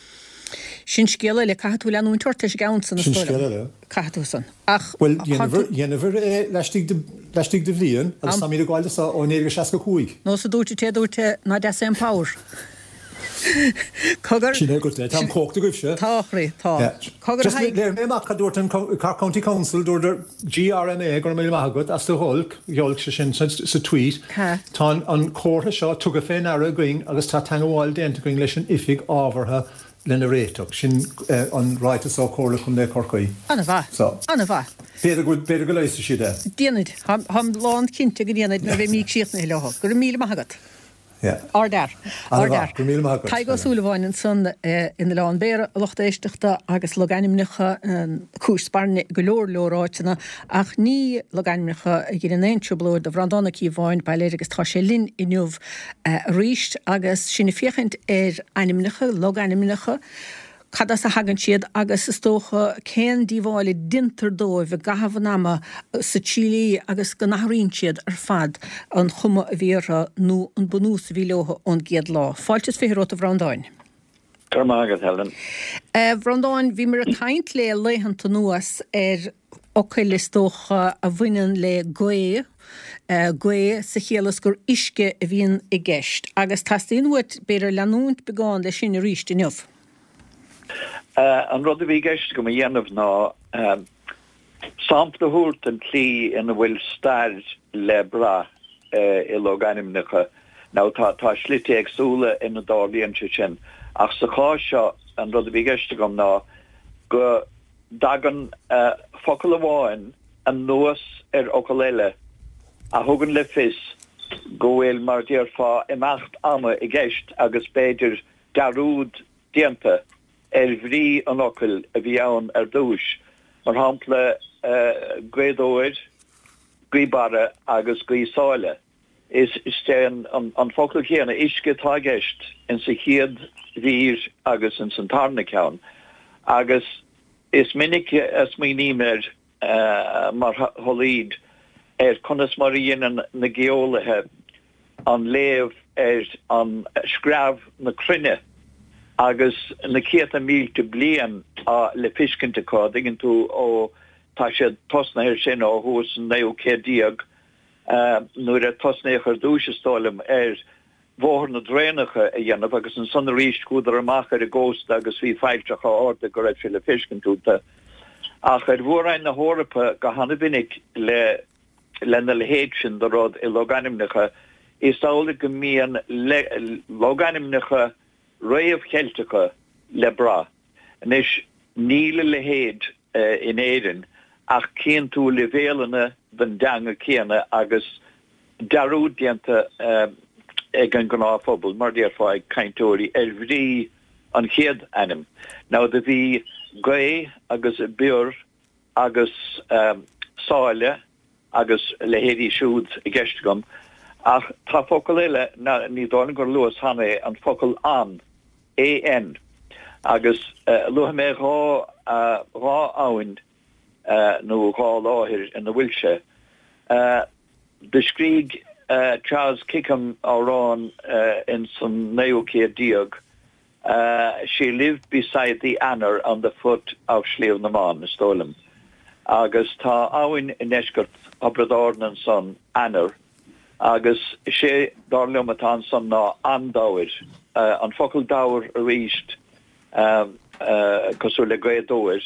Sin scéal eile. Caithfidh tú leanúint ort leis an gceann san, is Sin dóigh scéal liom. eile. Caithfidh tú san. Ach Bhuel, tá tú. dhéanamar é laistigh de, laistigh de bhliain agus táimid ag gabháil do so ó 1965. Nós a dúirt an té a dúirt é, ná deas é an pabhar. Cogar. Sin é agat é. Tá an chumhacht agaibhse. Tá, a chroí, tá. Yeah. Cogar Just a Thaidhg. léifidh mé amach cad dúirt an Cork County Council, dúradar GRMA, go raibh míle maith agat as do ghiolc, ghiolc, sé sin sa, sa tweet. Ha. Tá an, an comhartha seo tugtha fé ndeara againn agus tá teangabháil déanta againn leis an oifig ábhartha lena réiteach. Sin an ráiteas ó Chomhairle Contae Chorcaí. An-mhaith. So. An-mhaith. B'fhéidir go, b'fhéidir go leigheasfaidh siad é. Déanfaid. Táim lán cinnte go ndéanfaid nuair a bheidh mí críochnaithe leo. Go raibh míle maith agat. Yeah. Ardfhear. An-mhaith. Go raibh míle maith agat. Tadhg Ó Súilleabháin ansan in Oileán Béara, a lucht éisteachta, agus logainmneacha, cúis spairne i go leor leor áiteanna, ach ní logainmneacha a ghineann aon trioblóid do Bhreandán Ó Cíobháin, bail air agus tá sé linn inniu arís agus sinn ag féachaint ar ainmneacha, logainmneacha, cad as a thagann siad agus is dócha cén díobháil a déantar dóibh i gcaitheamh an ama sa tslí agus go n-athraíonn siad ar fad an chuma a bhí orthu nó an bunús a bhí leo ón gcéad lá. Fáilte is 20 romhat a Bhreandáin. Go raibh maith agat, Helen. A Bhreandáin, bhíomar ag caint le laethanta anuas ar fhocail is dócha a bhaineann le gaoth, gaoth sa chiall is gur uisce a bhíonn i gceist agus teastaíonn uait b'fhéidir leanúint beagán leis sin arís inniu. An rud a bhí i gceist agam a dhéanamh ná sampla a thabhairt den tslí ina bhfuil stair le brath i logainmneacha. Now tá tá slite éagsúla ina dtarlaíonn sé sin ach sa chás seo an rud a bhí i gceist agam ná go dtagann focal amháin anuas ar fhocal eile a thugann le fios go bhfuil, mar a déarfá, imeacht ama i gceist agus b'fhéidir dearúd déanta ar bhrí an fhocail a bhí ann ar dtúis, mar shampla Gaoth Dobhair, Gaoth Barra agus Gaoth Sáile. Is é an focal céanna, uisce, atá i gceist insa chéad mhír agus ins an tarna ceann agus is minic a smaoiním air mar sholaoid ar conas mar a dheineann na geolaithe an léamh ar an screamh na cruinne agus na céadta mílte bliain le feiscint acu, an dtuigeann tú, ó tá siad tosnaithe ar sin ó thuas an naoú céad déag nuair a tosnaíodh ar dtúis, is dóigh liom, ar bhóthar na dtraenacha a dhéanamh agus ansan arís chuadar amach ar an gcósta agus bhí failltreacha arda go raibh sé le feiscint iontu. Ach ar mhór-roinn na hEorpa go hana-mhinic le lena leithéid sin de rud i logainmneacha, is amhlaidh go mbíonn logainmneacha réamh-Cheilteacha le brath. Anois, níl a leithéid in Éirinn ach cíonn tú leibhéalanna den dteanga céanna agus dearúd déanta ag an ngnáthphobal, mar déarfá, ag cainteoirí, ar bhrí an chéad ainm. Now do bhí gaoth agus bior agus sáile agus a leithéidí siúd i gceist agam, ach tá focal eile, ní dóigh liom gur luas cheana é, an focal an, AN, agus luafaidh mé 2 abhainn nó 2 láthair ina bhfuil sé. Do scrígh Charles Kickham amhrán ins an naoú céad déag, She lived beside the Anner on the foot of Sliabh na mBan, is dóigh liom. Agus tá abhainn i ndeisceart Thiobraid Árann ansan, Anner, agus sé dar liom atá ansan ná An Dobhair, an focal dobhar arís, cosúil le Gaoth Dobhair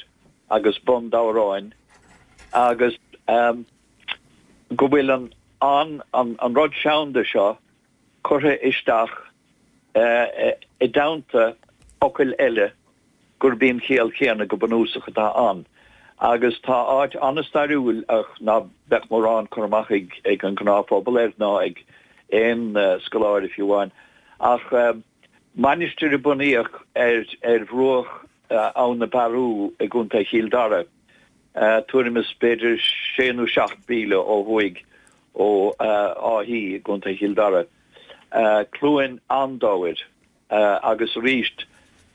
agus Bun Dobhráin, agus go bhfuil an an an rud seanda seo curtha isteach i dteannta fhocail eile gurb í an chiall chéanna go bunúsach atá ann. Agus tá áit an-stairiúil ach ná beadh mórán cur amach ag an ngnáthphobal air ná ag aon scoláire fiú amháin. Ach mainistir a bunaíodh ar bhruach Abhainn na Bearú i gContae Chill Dara. Tuairim is b'fhéidir sé nó 7 mhíle ó thuaidh ó Áth Í i gContae Chill Dara. Cluain an-Dobhair agus arís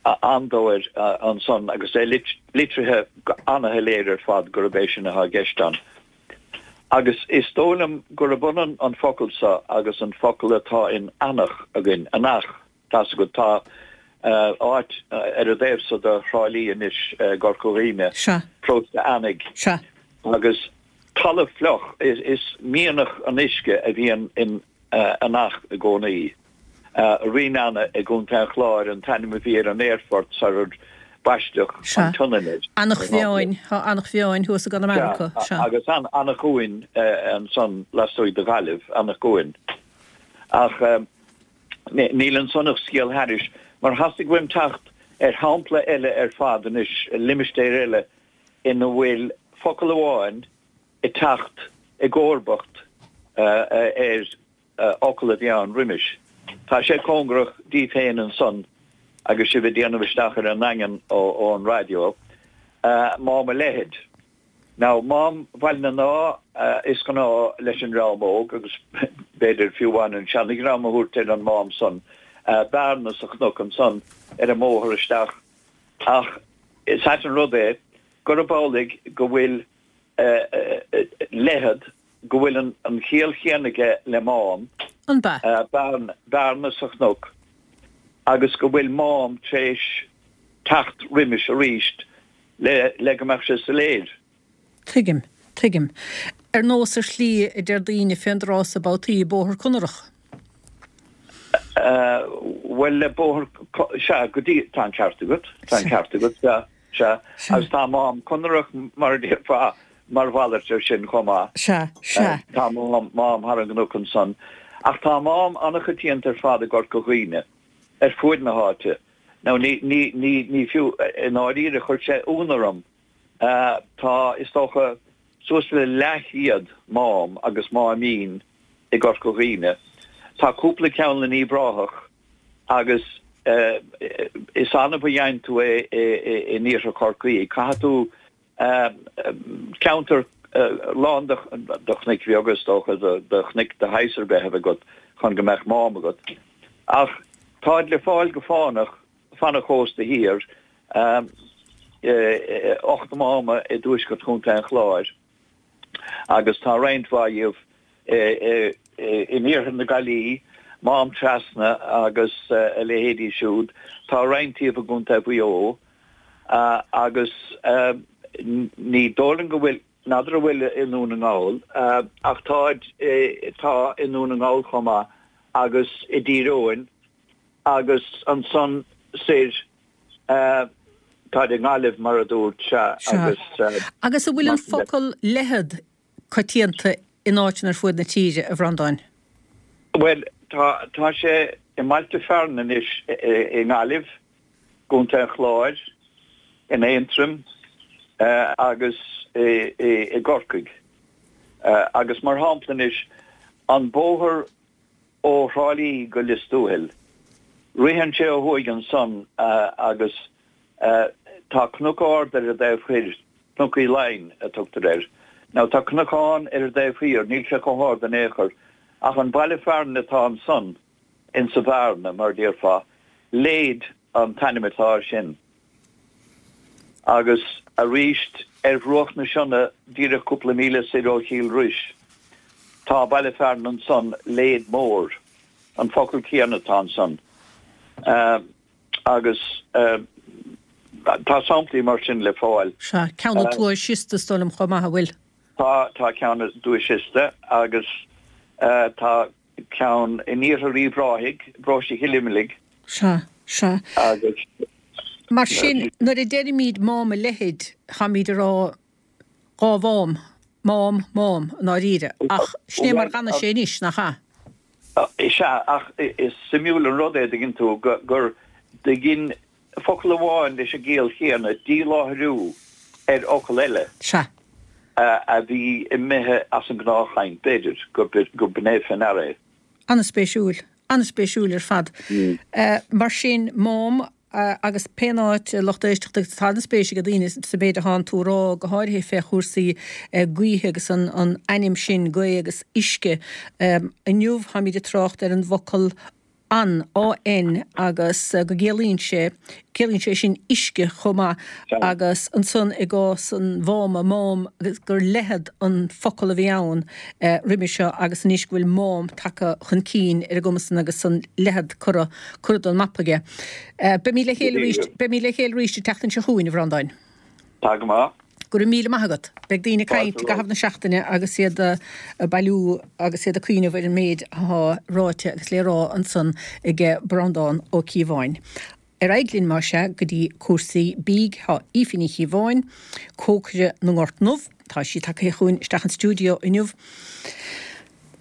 An Dobhair ansan agus é litrithe go ana-shoiléir ar fad gurb é sin atá i gceist ann. Agus is dóigh liom gurb ionann an focal so agus an focal atá in Eanach againn, Anach, tá's agat, tá áit ar an dtaobh so de Thrá Lí anois i gCorca Dhuibhne, Paróiste Eanaigh, agus talamh fliuch, is mianach an uisce a bhíonn in Eanach i gcónaí. Rineanna i gContae an Chláir an t-ainm a bhí ar an aerfort sarar baisteadh an tSionainn air. Eanach Mheáin, tá Eanach Mheáin thuas i gConamara. Sea, agus Eanach Dhúin ansan lastuaidh de Ghaillimh, Eanach Dhúin. Ach níl ansan ach scéal thairis, mar theastaigh uaim teacht ar shampla eile ar fad anois, limistéar eile ina bhfuil focal amháin ag teacht i gcomharbacht ar fhocal a bhí ann roimis. Tá sé cóngarach daoibh féin ansan agus sibh ag déanamh isteach ar an nDaingean ón raidió, Mám a' Leithid. Now, Mám Bhaile na nDá is gnáth leis an dream óg, agus b'fhéidir fiú amháin an seana-dhream a thabhairt ar an Mám san, bearna sa chnoc ansan ar an mbóthar isteach ach is ait an rud é gurb amhlaidh go bhfuil leithead go bhfuil an chiall chéanna aige le mám, An bea? bearna sa chnoc, agus go bhfuil mám tar éis teacht roimis arís le go mbeadh sé soiléir. Tuigim. Tuigim. Ar nós ar shlí a deir daoine fén dtráth so babhtaí, Bóthar Conarach. Bhuel, le bóthar, sea, go dtí, tá an ceart agat, tá an ceart agat, sea. Sea, agus tá Mám Conarach, mar a déarfá, mar mhalairt air sin chomh maith. Sea, sea. Tá mám thar an gcnoc ansan. Ach tá mám an-choitianta ar fad i gCorca Dhuibhne, ar fuaid na háite. Now, ní, ní, ní, ní fiú, i ndáiríre, chuir sé ionadh orm. Tá, is dócha, suas le leathchéad mám agus máimín i gCorca Dhuibhne. Tá cúpla ceann in Uíbh Ráthach Agus is annamh a gheibheann tú é in iarthar Chorcaí. Caithfidh tú ceantar lán de chnoic bheaga, is dócha, de chnoic de shaghas ar bith a bheith agat chun go mbeadh mám agat. Ach táid le fáil go fánach fan an chósta thiar, 8 máma i dtuaisceart Chontae an Chláir. agus tá roinnt mhaith dhíobh in iarthar na Gaillimhe, Mám Trasna agus a leithéidí siúd. Tá roinnt díobh i gContae Mhaigh Eo agus ní dóigh liom go bhfuil, n'fheadar an bhfuil i nDún na nGall, ach táid, tá i nDún na nGall chomh maith agus i dTír Eoghain agus ansan soir Táid i nGaillimh, mar a dúirt, sea, agus. Agus an bhfuil an focal leithead coitianta in áiteanna ar fuaid na tíre, a Bhreandáin? Bhuel, tá, tá sé i mbailte fearainn anois i nGaillimh, gContae an Chláir, in Aontroim agus i gCorcaigh. Agus mar shampla anois, an bóthar Ó Thrá Lí go Lios Tuathail. Ritheann sé ó thuaidh ansan agus tá cnoc ard ar an dtaobh thoir, Cnoc Uí Laighin a tugtar air. Now tá cnocán ar an dtaobh thiar, níl sé chomh hard in aon chor, ach an baile fearainn atá ansan insa bhearna, mar a déarfá, Léid an t-ainm atá air sin. Agus aríst ar bhruach na Sionna díreach cúpla míle soir ó Chill Rois tá baile fearainn ansan, Léid Mór, an focal céanna atá ansan. Agus tá samplaí mar sin le fáil. Sea, ceann i dTuath Siosta is dóigh liom chomh maith, an bhfuil? Tá, tá ceann i dTuath Siosta agus tá ceann in iarthar Uíbh Ráthaigh, paróiste Chill Imligh. Sea, sea. Agus. Mar sin, nuair a deirimid Mám a' Leithid, táimid ag rá dhá mhám, mám, mám, i ndáiríre. Ach sin é mar dh'fhanfaidh sé anois, nach ea? Sea, ach is suimiúil an rud é, dtuigeann tú, gur dhein focal amháin leis an gciall chéanna díláithriú ar fhocal eile. Sea. a bhí imithe as an ngnáthchaint, b'fhéidir, go b'in é fé ndeara é. An-spéisiúil. An-spéisiúil ar fad. Mar sin, mám. Agus pén áit, a lucht éisteachta, agus tá an-spéis ag daoine sa mhéid athánn tú a rá, go háirithe fé chúrsaí gaoithe agus an ainm sin, gaoth agus uisce. Inniu táimid ag trácht ar an bhfocal An, AN, agus go gciallaíonn sé, ciallaíonn sé sin uisce chomh maith agus ansan i gcás an mháma, mám, agus gur leithead an focal a bhí ann roimhe seo agus anois go bhfuil mám tagtha chun cinn ar an gcuma san agus an leithead curtha, curtha den mapa aige. Beimid le chéile arís, beimid le chéile arís an tseachtain seo chugainn, a Bhreandáin. Tá go maith. Go raibh míle maith agat. Beidh daoine ag caint i gcaitheamh na seachtaine agus iad ag bailiú agus iad ag cuimhneamh ar an méid athá ráite agus le rá ansan ag Breandán Ó Cíobháin. Ar aghaidh linn, más ea, go dtí cúrsaí bídh. Tá Aoife Ní Chíobháin, cócaire na nGort nDubh, tá sí tagtha chugainn isteach an stiúideo inniu.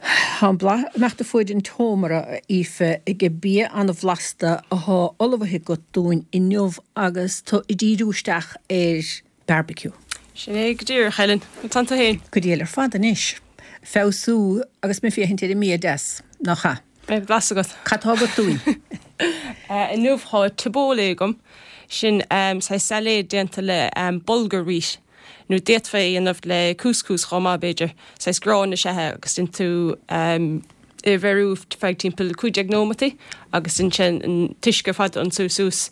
Tá an blas ag imeacht fuaid an tseomra, a Aoife, ag bia an-bhlasta athá ullmhaithe agat dúinn inniu agus tú ag díriú isteach ar barbecue. Sin é go díreach, Helen. Conas tánn tú féin? Go diail ar fad anois. Feabhsú agus mé féachaint ar an mbia deas, nach ea? Beidh blas agat. Cad tá agat dúinn? Inniu tá tabbouleh agam. Sin saghas sailéad déanta le bulgur wheat. Nó d'fhéadfá é a dhéanamh le couscous chomh maith, b'fhéidir. Saghas grán is ea é agus déanann tú é a bheiriú feadh timpeall 15 nóimeataí agus ansin an t-uisce ar fad a ionsú suas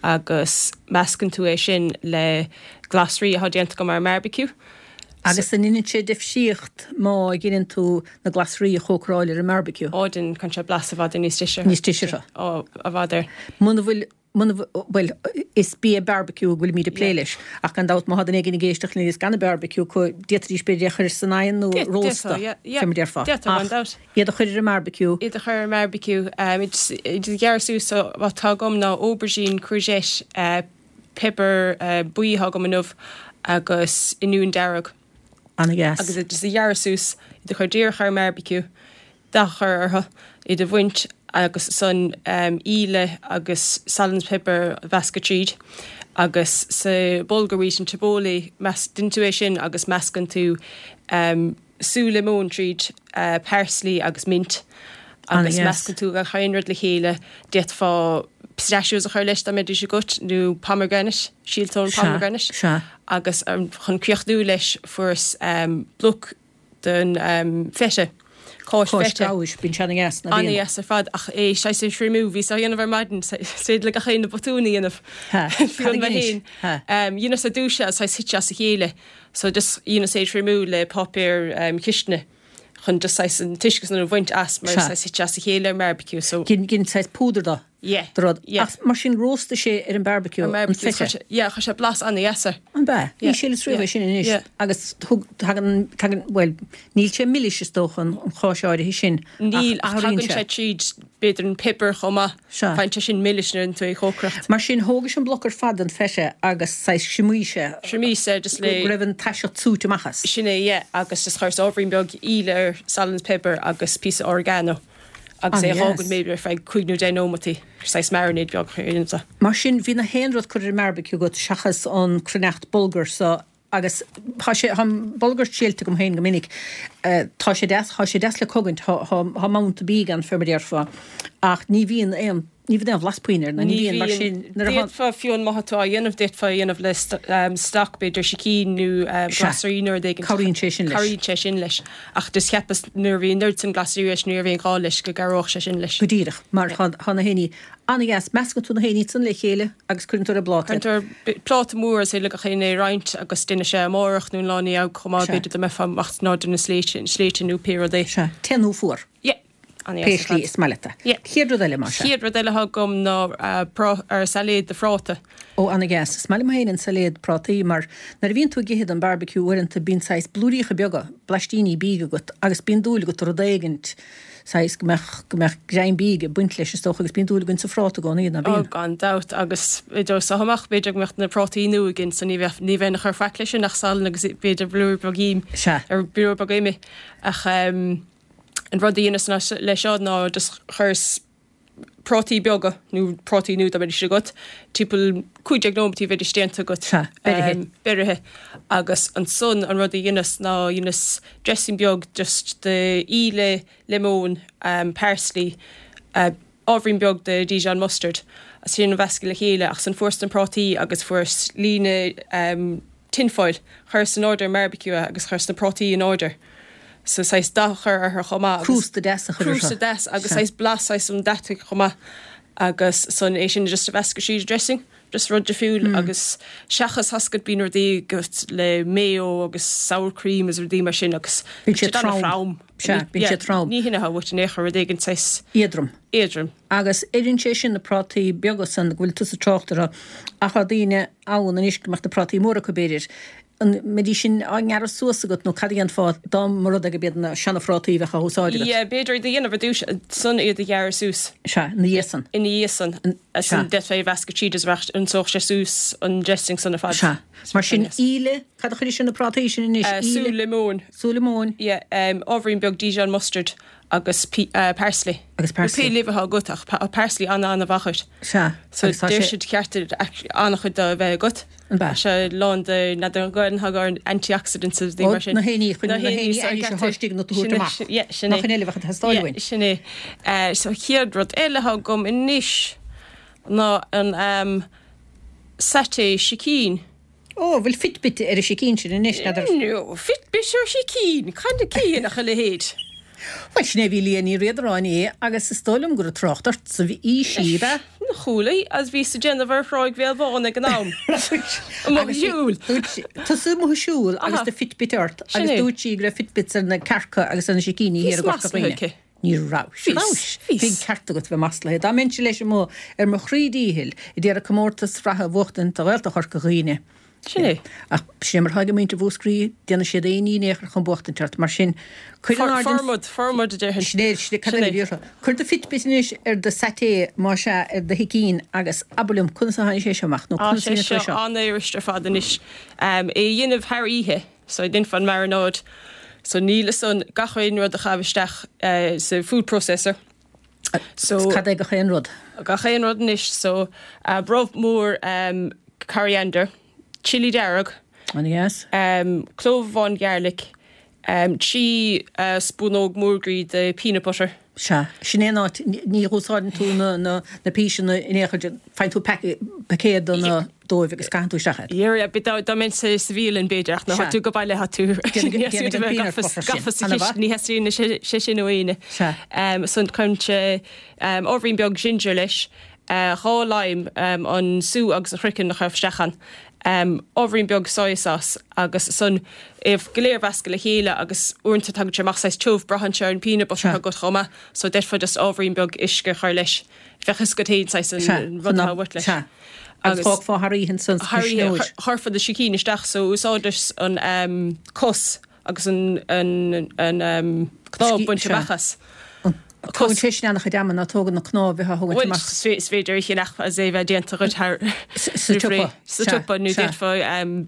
agus meascann tú é sin le glasraí atá déanta agam ar an mbearbaiciú. Agus an ndeineann sé difríocht má dheineann tú na glasraí a chócaráil ar an mbearbaiciú? Ó, deineann, cuireann sé blas i bhfad níos deise. Níos deise orthu. Ó, i bhfad air. Muna bhfuil Muna bhfuil, is bia beárbaiciú a bhfuilimid ag plé leis, ach gan dabht má tá duine éigin ag éisteacht linn agus gan an beárbaiciú acu, d'fhéadfaidís b'fhéidir é a chur san oigheann nó rósta, fé mar a déarfá. Ach iad a chur ar an mbeárbaiciú. Iad a chur ar an mbeárbaiciú. Iad a ghearradh suas, so what tá agam ná aubergine, courgette, piobar buí atá agam inniu agus oinniún dearg. Ana-dheas. Agus iad just a ghearradh suas, iad a chur díreach ar an mbeárbaiciú. dath a chur orthu, iad a bhaint agus ansan íle agus salann is piobar a mheascadh tríd agus sa bulgur wheat an tabbouleh, déanann tú é sin agus meascann tú sú liomóin tríd, parsley agus mint agus meascann tú gach aon rud le chéile. D'fhéadfá pistachios a chur leis dá mbeidís agat nó pomegranate, síolta ón pomegranate agus chun críochnú leis fuaireas bloc den feta, cáis feta. Cáis gabhais, bíonn sé ana-dheas, ná bíonn? Ana-dheas ar fad, ach é saghas a thriomú, bhíos á dhéanamh ar maidin, is féidir le gach éinne botún a dhéanamh, fiú mé féin. Dheineas ar dtús é agus saghas thit sé as a chéile, so just dheineas é a thriomú le páipéar cistine chun just saghas an t-uisce san a bhaint as mar saghas thit sé as a chéile ar an mbeárbaiciú, so. Dhein saghas púdar de. Yeah, de rud. yeah. Ach mar sin róstaigh sé ar an barbecue, An an barbecue, feta. chuir sé, yeah, chuir sé blas ana-dheas air. An b'ea? Yeah, Ní shíleas riamh yeah, é sin anois. yeah. Agus thug, tagann, tagann, bhuel, níl sé milis is dócha an, an cháis áirithe sin ach Níl, ach athraíonn tagann sé. sé tríd, b'fhéidir an piobar chomh maith. Sea. Faigheann sé sin milis nuair a dhéanann tú é a chócaireacht. Mar sin, thógais an bloc ar fad den feta agus saghas thriomaís é. Thriomaíos é just le. Go raibh an taiseacht súite amach as. Sin é, yeah, agus just chuireas ábhairín beag íle air, salann is piobar agus píosa oregano. agus é a dh'fhágaint b'fhéidir ar feadh cúig nó deich nóimeataí, saghas marinade beag a dhéanamh de. Mar sin, bhí na haon rud curtha ar an mbeárbaiciú agat seachas an cruithneacht bulgur so agus tá sé, tá an bulgur triailte agam féin go minic, tá sé deas, tá sé deas le cogaint, tá, tá, tá manta bídh ann fé mar a déarfá ach ní bhíonn aon, Ní bhíonn aon bhlas puinn air, ná ní Ní bhíonn, mar bhíonn. sin, nuair a D'fhéadfá, fiú má tá tú á dhéanamh, d'fhéadfá a dhéanamh le stoc, b'fhéidir sicín nó Sea. glasraí nó rud éigin. Cabhraíonn sé sin leis. Cabhraíonn sé sin leis. Ach just cheapas nuair a bhí an oiread sin glasraí leis, ní raibh aon ghá leis go gcabhródh sé sin leis. Go díreach, mar tá, tá na haon ní an-dheas. Meascann tú na haon ní san le chéile agus cuireann tú ar an bpláta. Cuireann tú ar pláta mór is féidir le gach éinne é a roinnt agus déanfaidh sé amárach nó an lá ina dhiaidh chomh maith, Sea. b'fhéidir dá mbeifeá amach in airde na sléibhte, sléibhte nó pé rud é. Sea. Te nó fuar. Yeah. Pé slí is maith leat é. Chéad rud eile, más ea. Chéad rud eile atá agam ná sailéad de phráta. Ó, ana-dheas. Is maith liom féin an sailéad prátaí mar nuair a bhíonn tú ag ithe don barbecue uaireanta bíonn saghas blúiríocha beaga, blaistíní bídh agat agus bíonn dúil agat i rud éigint saghas go mbeadh, go mbeadh greim bídh ag baint leis is dócha agus bíonn dúil againn sa phráta i gcónaí, ná Ó, bíonn? gan dabht agus idir seo amach b'fhéidir go mbeadh na prátaí nua againn so ní bheadh, ní bheinn ag cur faic leis sin ach salann agus b'fhéidir blúire beag im, Sea. ar blúire beag ime ach. An rud a dheineas leis seo ná just chuireas prátaí beaga, nó prátaí nua dá mbeidís agat, timpeall 15 nóimeataí bheidís déanta agat. Sea, beirithe. Beirithe. Agus ansan an rud a dheineas ná dheineas dressing beag just de íle, liomón, parsley,. Ábhairín beag de Dijon mustard agus sin a mheascadh le chéile ach ansan fuaireas na prátaí agus fuaireas líne tin foil, chuireas in airde ar an mbearbaiciú é agus chuireas na prátaí in airde so saghas dath a chur orthu chomh maith agus Crústa deas a chur orthu. Crústa deas agus saghas blas saghas an deataigh chomh maith agus san é sin just a mheascadh tríd an dressing, just rud difriúil agus seachas tá a fhios agat bíonn rudaí agat le mayo agus sour cream agus rudaí mar sin agus Bíonn siad trom. Sea, bíonn siad trom. Ní hin atá uait in aon chor, rud éigin saghas. Éadrom. Éadrom. Agus oireann sé sin na prátaí beaga san go bhfuil tusa ag trácht orthu, ach tá daoine ann anois go mbeadh na prátaí móra acu b'fhéidir. An mbeidís sin á ngearradh suas agat nó cad a dhéanfá dá mba rud é gurb iad na seana-phrátaí a bheadh á úsáid agat? Yeah, b'fhéidir iad a dhéanamh ar dtús, ansan iad a ghearradh suas. Sea, ina dhiaidh san. Ina dhiaidh san. Sea. D'fhéadfá é a mheascadh tríd is bheadh, ionsódh sé suas an dressing san ar fad. Sea. Mar sin, íle, cad a chuirfeá ar na prátaí sin anois? Íle. Sú liomóin. Sú liomóin. Yeah, ábhairín beag Dijon mustard agus parsley. Agus parsley. Pé luibh atá agat ach parsley ana-ana-mhaith dhuit. Sea. So agus tá deir siad ceart an-chuid de a bheith agat. An bea? Tá sé lán de n'fheadar an Ghaelainn atá ar antioxidants agus rudaí mar sin. Na haon ní chun na haon ní ainnis atá istigh ionat a thabhairt amach. Yeah, sin é. Nach in eile a bheadh ag teastáil uainn. Yeah, sin é. So chéad rud eile atá agam anois ná an satay sicín. Ó, bhfuil Fitbit ar an sicín sin anois, n'fheadar. No, Fitbit ar shicín? Cad a chiallaíonn a leithéid? Bhuel, sin é, bhí Liadh Ní Riada inné agus is dóigh liom gur ag trácht ort a bhí sí, ab ea? Chuala, agus bhíos ag déanamh ar Thráigh Bhéal Bhán ag an am. Amuigh ag siúl. Tusa amuigh ag siúl agus do Fitbit ort agus dúirt sí go raibh Fitbits ar na cearca agus ar na sicíní thiar i gCorca Dhuibhne. Ní raibh. Bhís. Bhí an ceart agat bheith maslaithe. Dá mbeinnse leis amuigh ar mo chroí díchill a d'iarraidh comórtas reatha a bhuachtaint do Ghaeltacht Chorca Dhuibhne. Sin é. Ach sin é mar atá ag muintir Mhúscraí, déanfaidh siad aon ní in aon chor chun buachtaint ort. Mar sin, cuir in airde an. Formad, formad a déarfainn. Sin é, sin é, cad eile a bhí orthu? Cuir do Fitbit anois ar do satay, más ea, ar do shicín agus abair liom conas a tháinig sé seo amach nó Tá conas a sé dhéanann tú é seo seo? an-fhuirist ar fad anois. É a dhéanamh thar oíche. So dhéanfá an marinade. So níl ansan gach aon rud a chaitheamh isteach sa food processor. So. Cad é gach aon rud? Gach aon rud anois. So brobh mór coriander, chilli dearg, An-dheas. clóbh amháin garlic, 3 spúnóg mór groí de peanut butter. Sea, sin é an áit, ní úsáideann tú na, na, na píseanna in aon chor, faigheann tú paicéad de na, dóibh agus caitheann tú isteach iad. Yeah, yeah, dá, dá mbeinn sa, sa bhialann b'fhéidir ach nuair atá tú go baile tá tú, ní theastaíonn uait a bheith gafa, gafa sa chistin, ní theastaíonn sé, sé sin ó éinne. Sea. Ansan cuireann sé ábhairín beag ginger leis, 2 lime, an sú agus an craiceann a chur isteach ann. Ábhairín beag soya sauce agus ansan é go léir a mheascadh le chéile agus uaireanta tagann sé amach saghas tiubh, braitheann sé ar an peanut butter atá agat chomh maith so d'fhéadfá just ábhairín beag uisce a chur leis. Bheadh fhios agat féin saghas an rud atá uait leis. Sea. Agus fágfá thar oíche ansan sa chuisneoir. Chuirfeá do sicín isteach so úsáideas an cos agus an cnámh bainte amach as. Tógann sé sin an-chuid ama ná tógann na cnámha a bheith á thógaint amach. Bhuel, is féidir a cheannach agus é a bheith déanta dhuit thar sa tsiopa. Sa tsiopa nó d'fhéadfá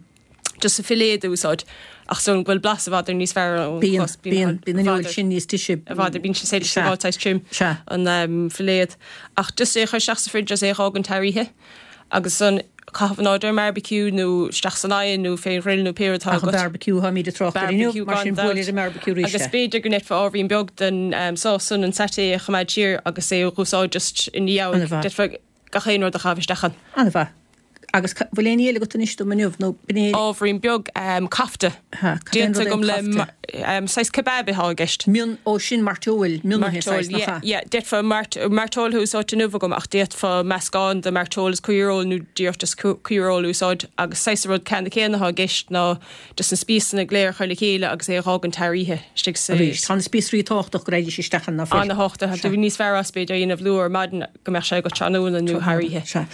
just an filléad a úsáid ach is dóigh liom go bhfuil blas i bhfad níos fearr ón chos. Bíonn, bíonn, bíonn an fheoil sin níos deise. I bhfad, bíonn sé saghas saghas trim an filléad. Ach just é a chur isteach sa fridge agus é a dh'fhágaint thar oíche agus ansan caitheamh in airde ar an mbearbaiciú nó isteach san oigheann nó fén ghrill nó pé rud atá agat. Ach an bearbaiciú atáimid ag trácht air inniu, mar sin buail ar an mbearbaiciú arís é. Agus b'fhéidir go ndéanfá ábhairín beag den sás san, an satay a choimeád siar agus é a dh'úsáid just ina dhiaidh. D'fhéadfá gach aon rud a chaitheamh isteach ann. An-mhaith. Agus bhfuil aon ní eile agat anois dom inniu nó b'in é? Ábhairín beag kofta. Déanta agam le saghas kebab atá i gceist. Mion, ó sin mairteoil, mionnaithe saghas, nach ea? Yeah, d'fhéadfá mairteoil a úsáid inniu agam ach d'fhéadfá meascán de mairteoil is caoireoil nó díreach just caoireoil a úsáid agus saghas an rud ceanna céanna atá i gceist ná just na spíosanna go léir a chur le chéile agus é a dh'fhágaint thar oíche istigh sa. Arís, tá na spíosraí tábhachtach go raghaidís isteach ann, ná fuil? Ana-thábhachtach, tá níos fearr as b'fhéidir a dhéanamh luath ar maidin go mbeadh sé agat tráthnóna nó thar oíche. Sea.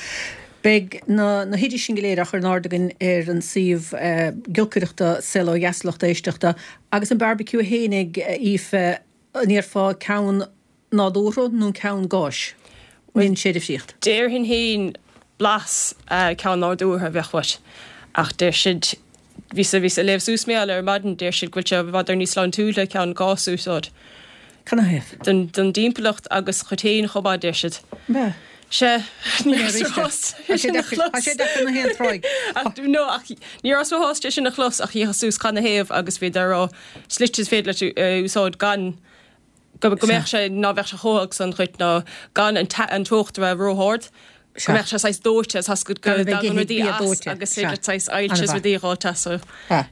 Beidh na na hoidis sin go léir á chur in airde againn ar an suíomh giolcaireachta Saol Ó Dheas lucht éisteachta. Agus an barbecue fhéinig, a Aoife, an iarrfá ceann nádúrtha nó ceann gáis? An ndéanann sé difríocht? Déarfainn féin blas ceann nádúrtha a bheadh uait ach deir siad, bhíos bhíos ag léamh suas mar gheall air ar maidin, deir siad go bhfuil sé i bhfad níos sláintiúla ceann gáis a úsáid. Canathaobh? Don don dtimpeallacht agus dhuit féin chomh maith, deir siad. Bea. Sea, ní raibh mé sásta é sin a chlos. Tá sé deacair na haon tráigh. Ach no, ach ní raibh mé sásta é sin a chlos ach d'fhéachas suas canathaobh agus bhíodar ag rá slite is féidir leat a úsáid gan. Go mbeadh sé, ná bheadh sé chomh bog san dhuit ná gan an teocht a bheith ró-ard. Go mbeadh sé saghas dóite, tá go dtagann rudaí as agus féidir leat saghas ailse is rudaí a dh'fháilt as so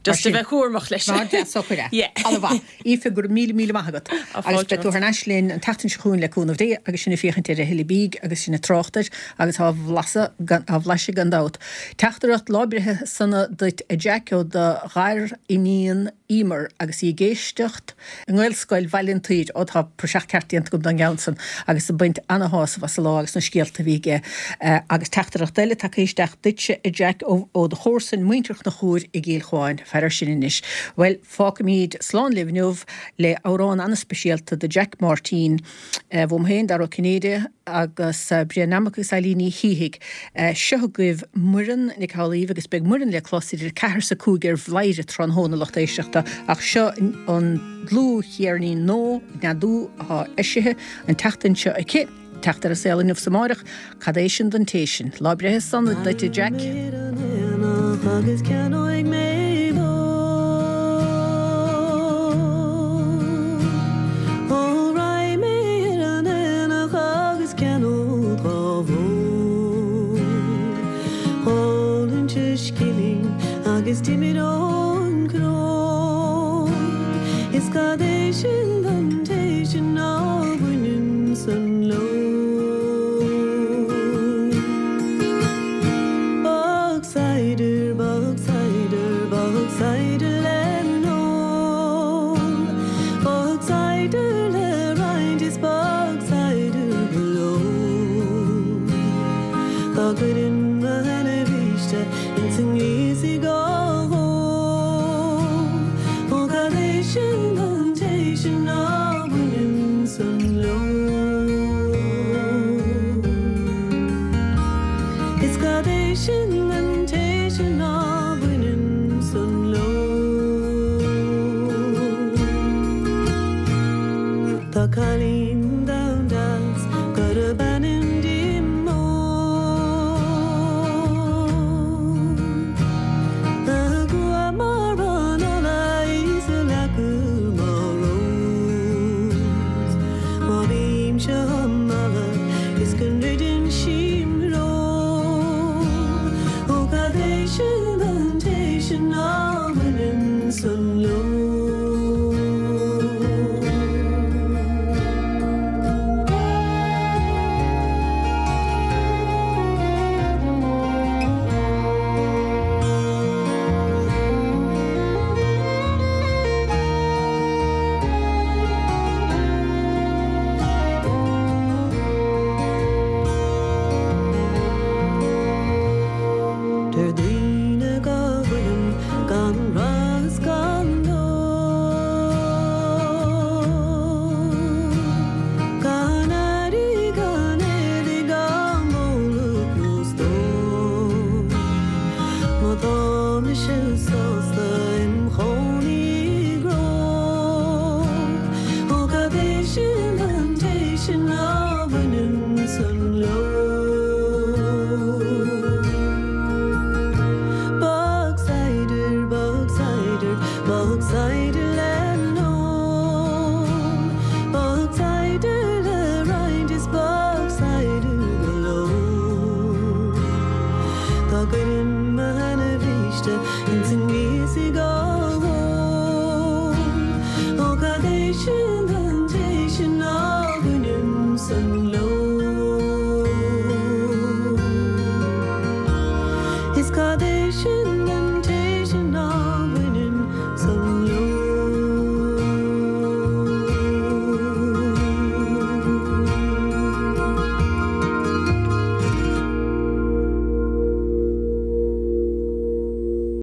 just a bheith cúramach leis. Mar deas socair é. Yeah. Ana-mhaith. Aoife, go raibh míle míle maith agat. Agus beidh tú thar n-ais linn an tseachtain seo chugainn le cúnamh Dé agus sinn ag féachaint ar a thuilleadh bídh agus sinn ag trácht air agus á bhlaiseadh gan, á bhlaiseadh gan dabht. Teachtaireacht lá breithe sona duit a Jack ó do ghar-iníon Emer agus í ag éisteacht i nGaelscoil Bhaile an tSaoir, ó tá praiseach ceart déanta agam don gceann san, agus ag baint ana-shásamh as an lá agus na scéalta a bhí aige. Agus teachtaireacht eile tagtha isteach duitse, a Jack, ó do chomharsain, muintir Chonchúir i gCill Chuáin. Faire air sin anois. Bhuel, fágfaimid slán libh inniu le amhrán ana-speisialta do Jack Máirtín. Uaim féin, Dara Ó Cinnéide, agus Brian Nammock agus Eilín Ní Shíthigh. Seo agaibh Muireann Nic Amhlaoibh agus beidh Muireann le clos idir 4 is 5 ar Bhladhaire tráthnóna, lucht éisteachta, ach seo an dlúthcheirnín nua, Neadú, atá eisithe an tseachtain seo aici, teacht ar an saol inniu 's amáireach. Cad é sin don té sin? Lá breithe sona duit, a Jack. Agus ceannóidh mé bó. Ó raghaidh mé ar an aonach agus ceannód dhá bhó. Dhá linnte scilling agus d'imir ón gcró. Is cad é sin don té sin ná baineann san leo. Bogside, bogside, bogside le n-ól. Bogside le roinnt is bogside go leor. Dá gcuirfinn mo sheana-bhríste ins an ngríosaigh á hól. Ó cad é sin don té sin ná baineann san leo. Is cad é sin don té sin ná baineann san leo. Tá cailín donn deas gurb ainm di Mó. A grua mar an ola is a leacair mar rós. Má bhímse á mealladh is go ndruideann sí im threo. Ó cad é sin don té sin ná baineann san leo. Deir daoine go bhfuilim gan rath is gan dóigh, gan airí gan éadaí gan bóla nó stór. Má tá mise sásta im chónaí i gcró, ó cad é sin don té sin ná baineann san leo. Bogsider, bogsider, bogsider le n-ól, bogsider le roinnt is bogsider go leor. Dá gcuirfinn mo sheana-bhríste ins an ngríosaigh á hól, ó cad é sin don té sin ná baineann san leo. Is cad é sin.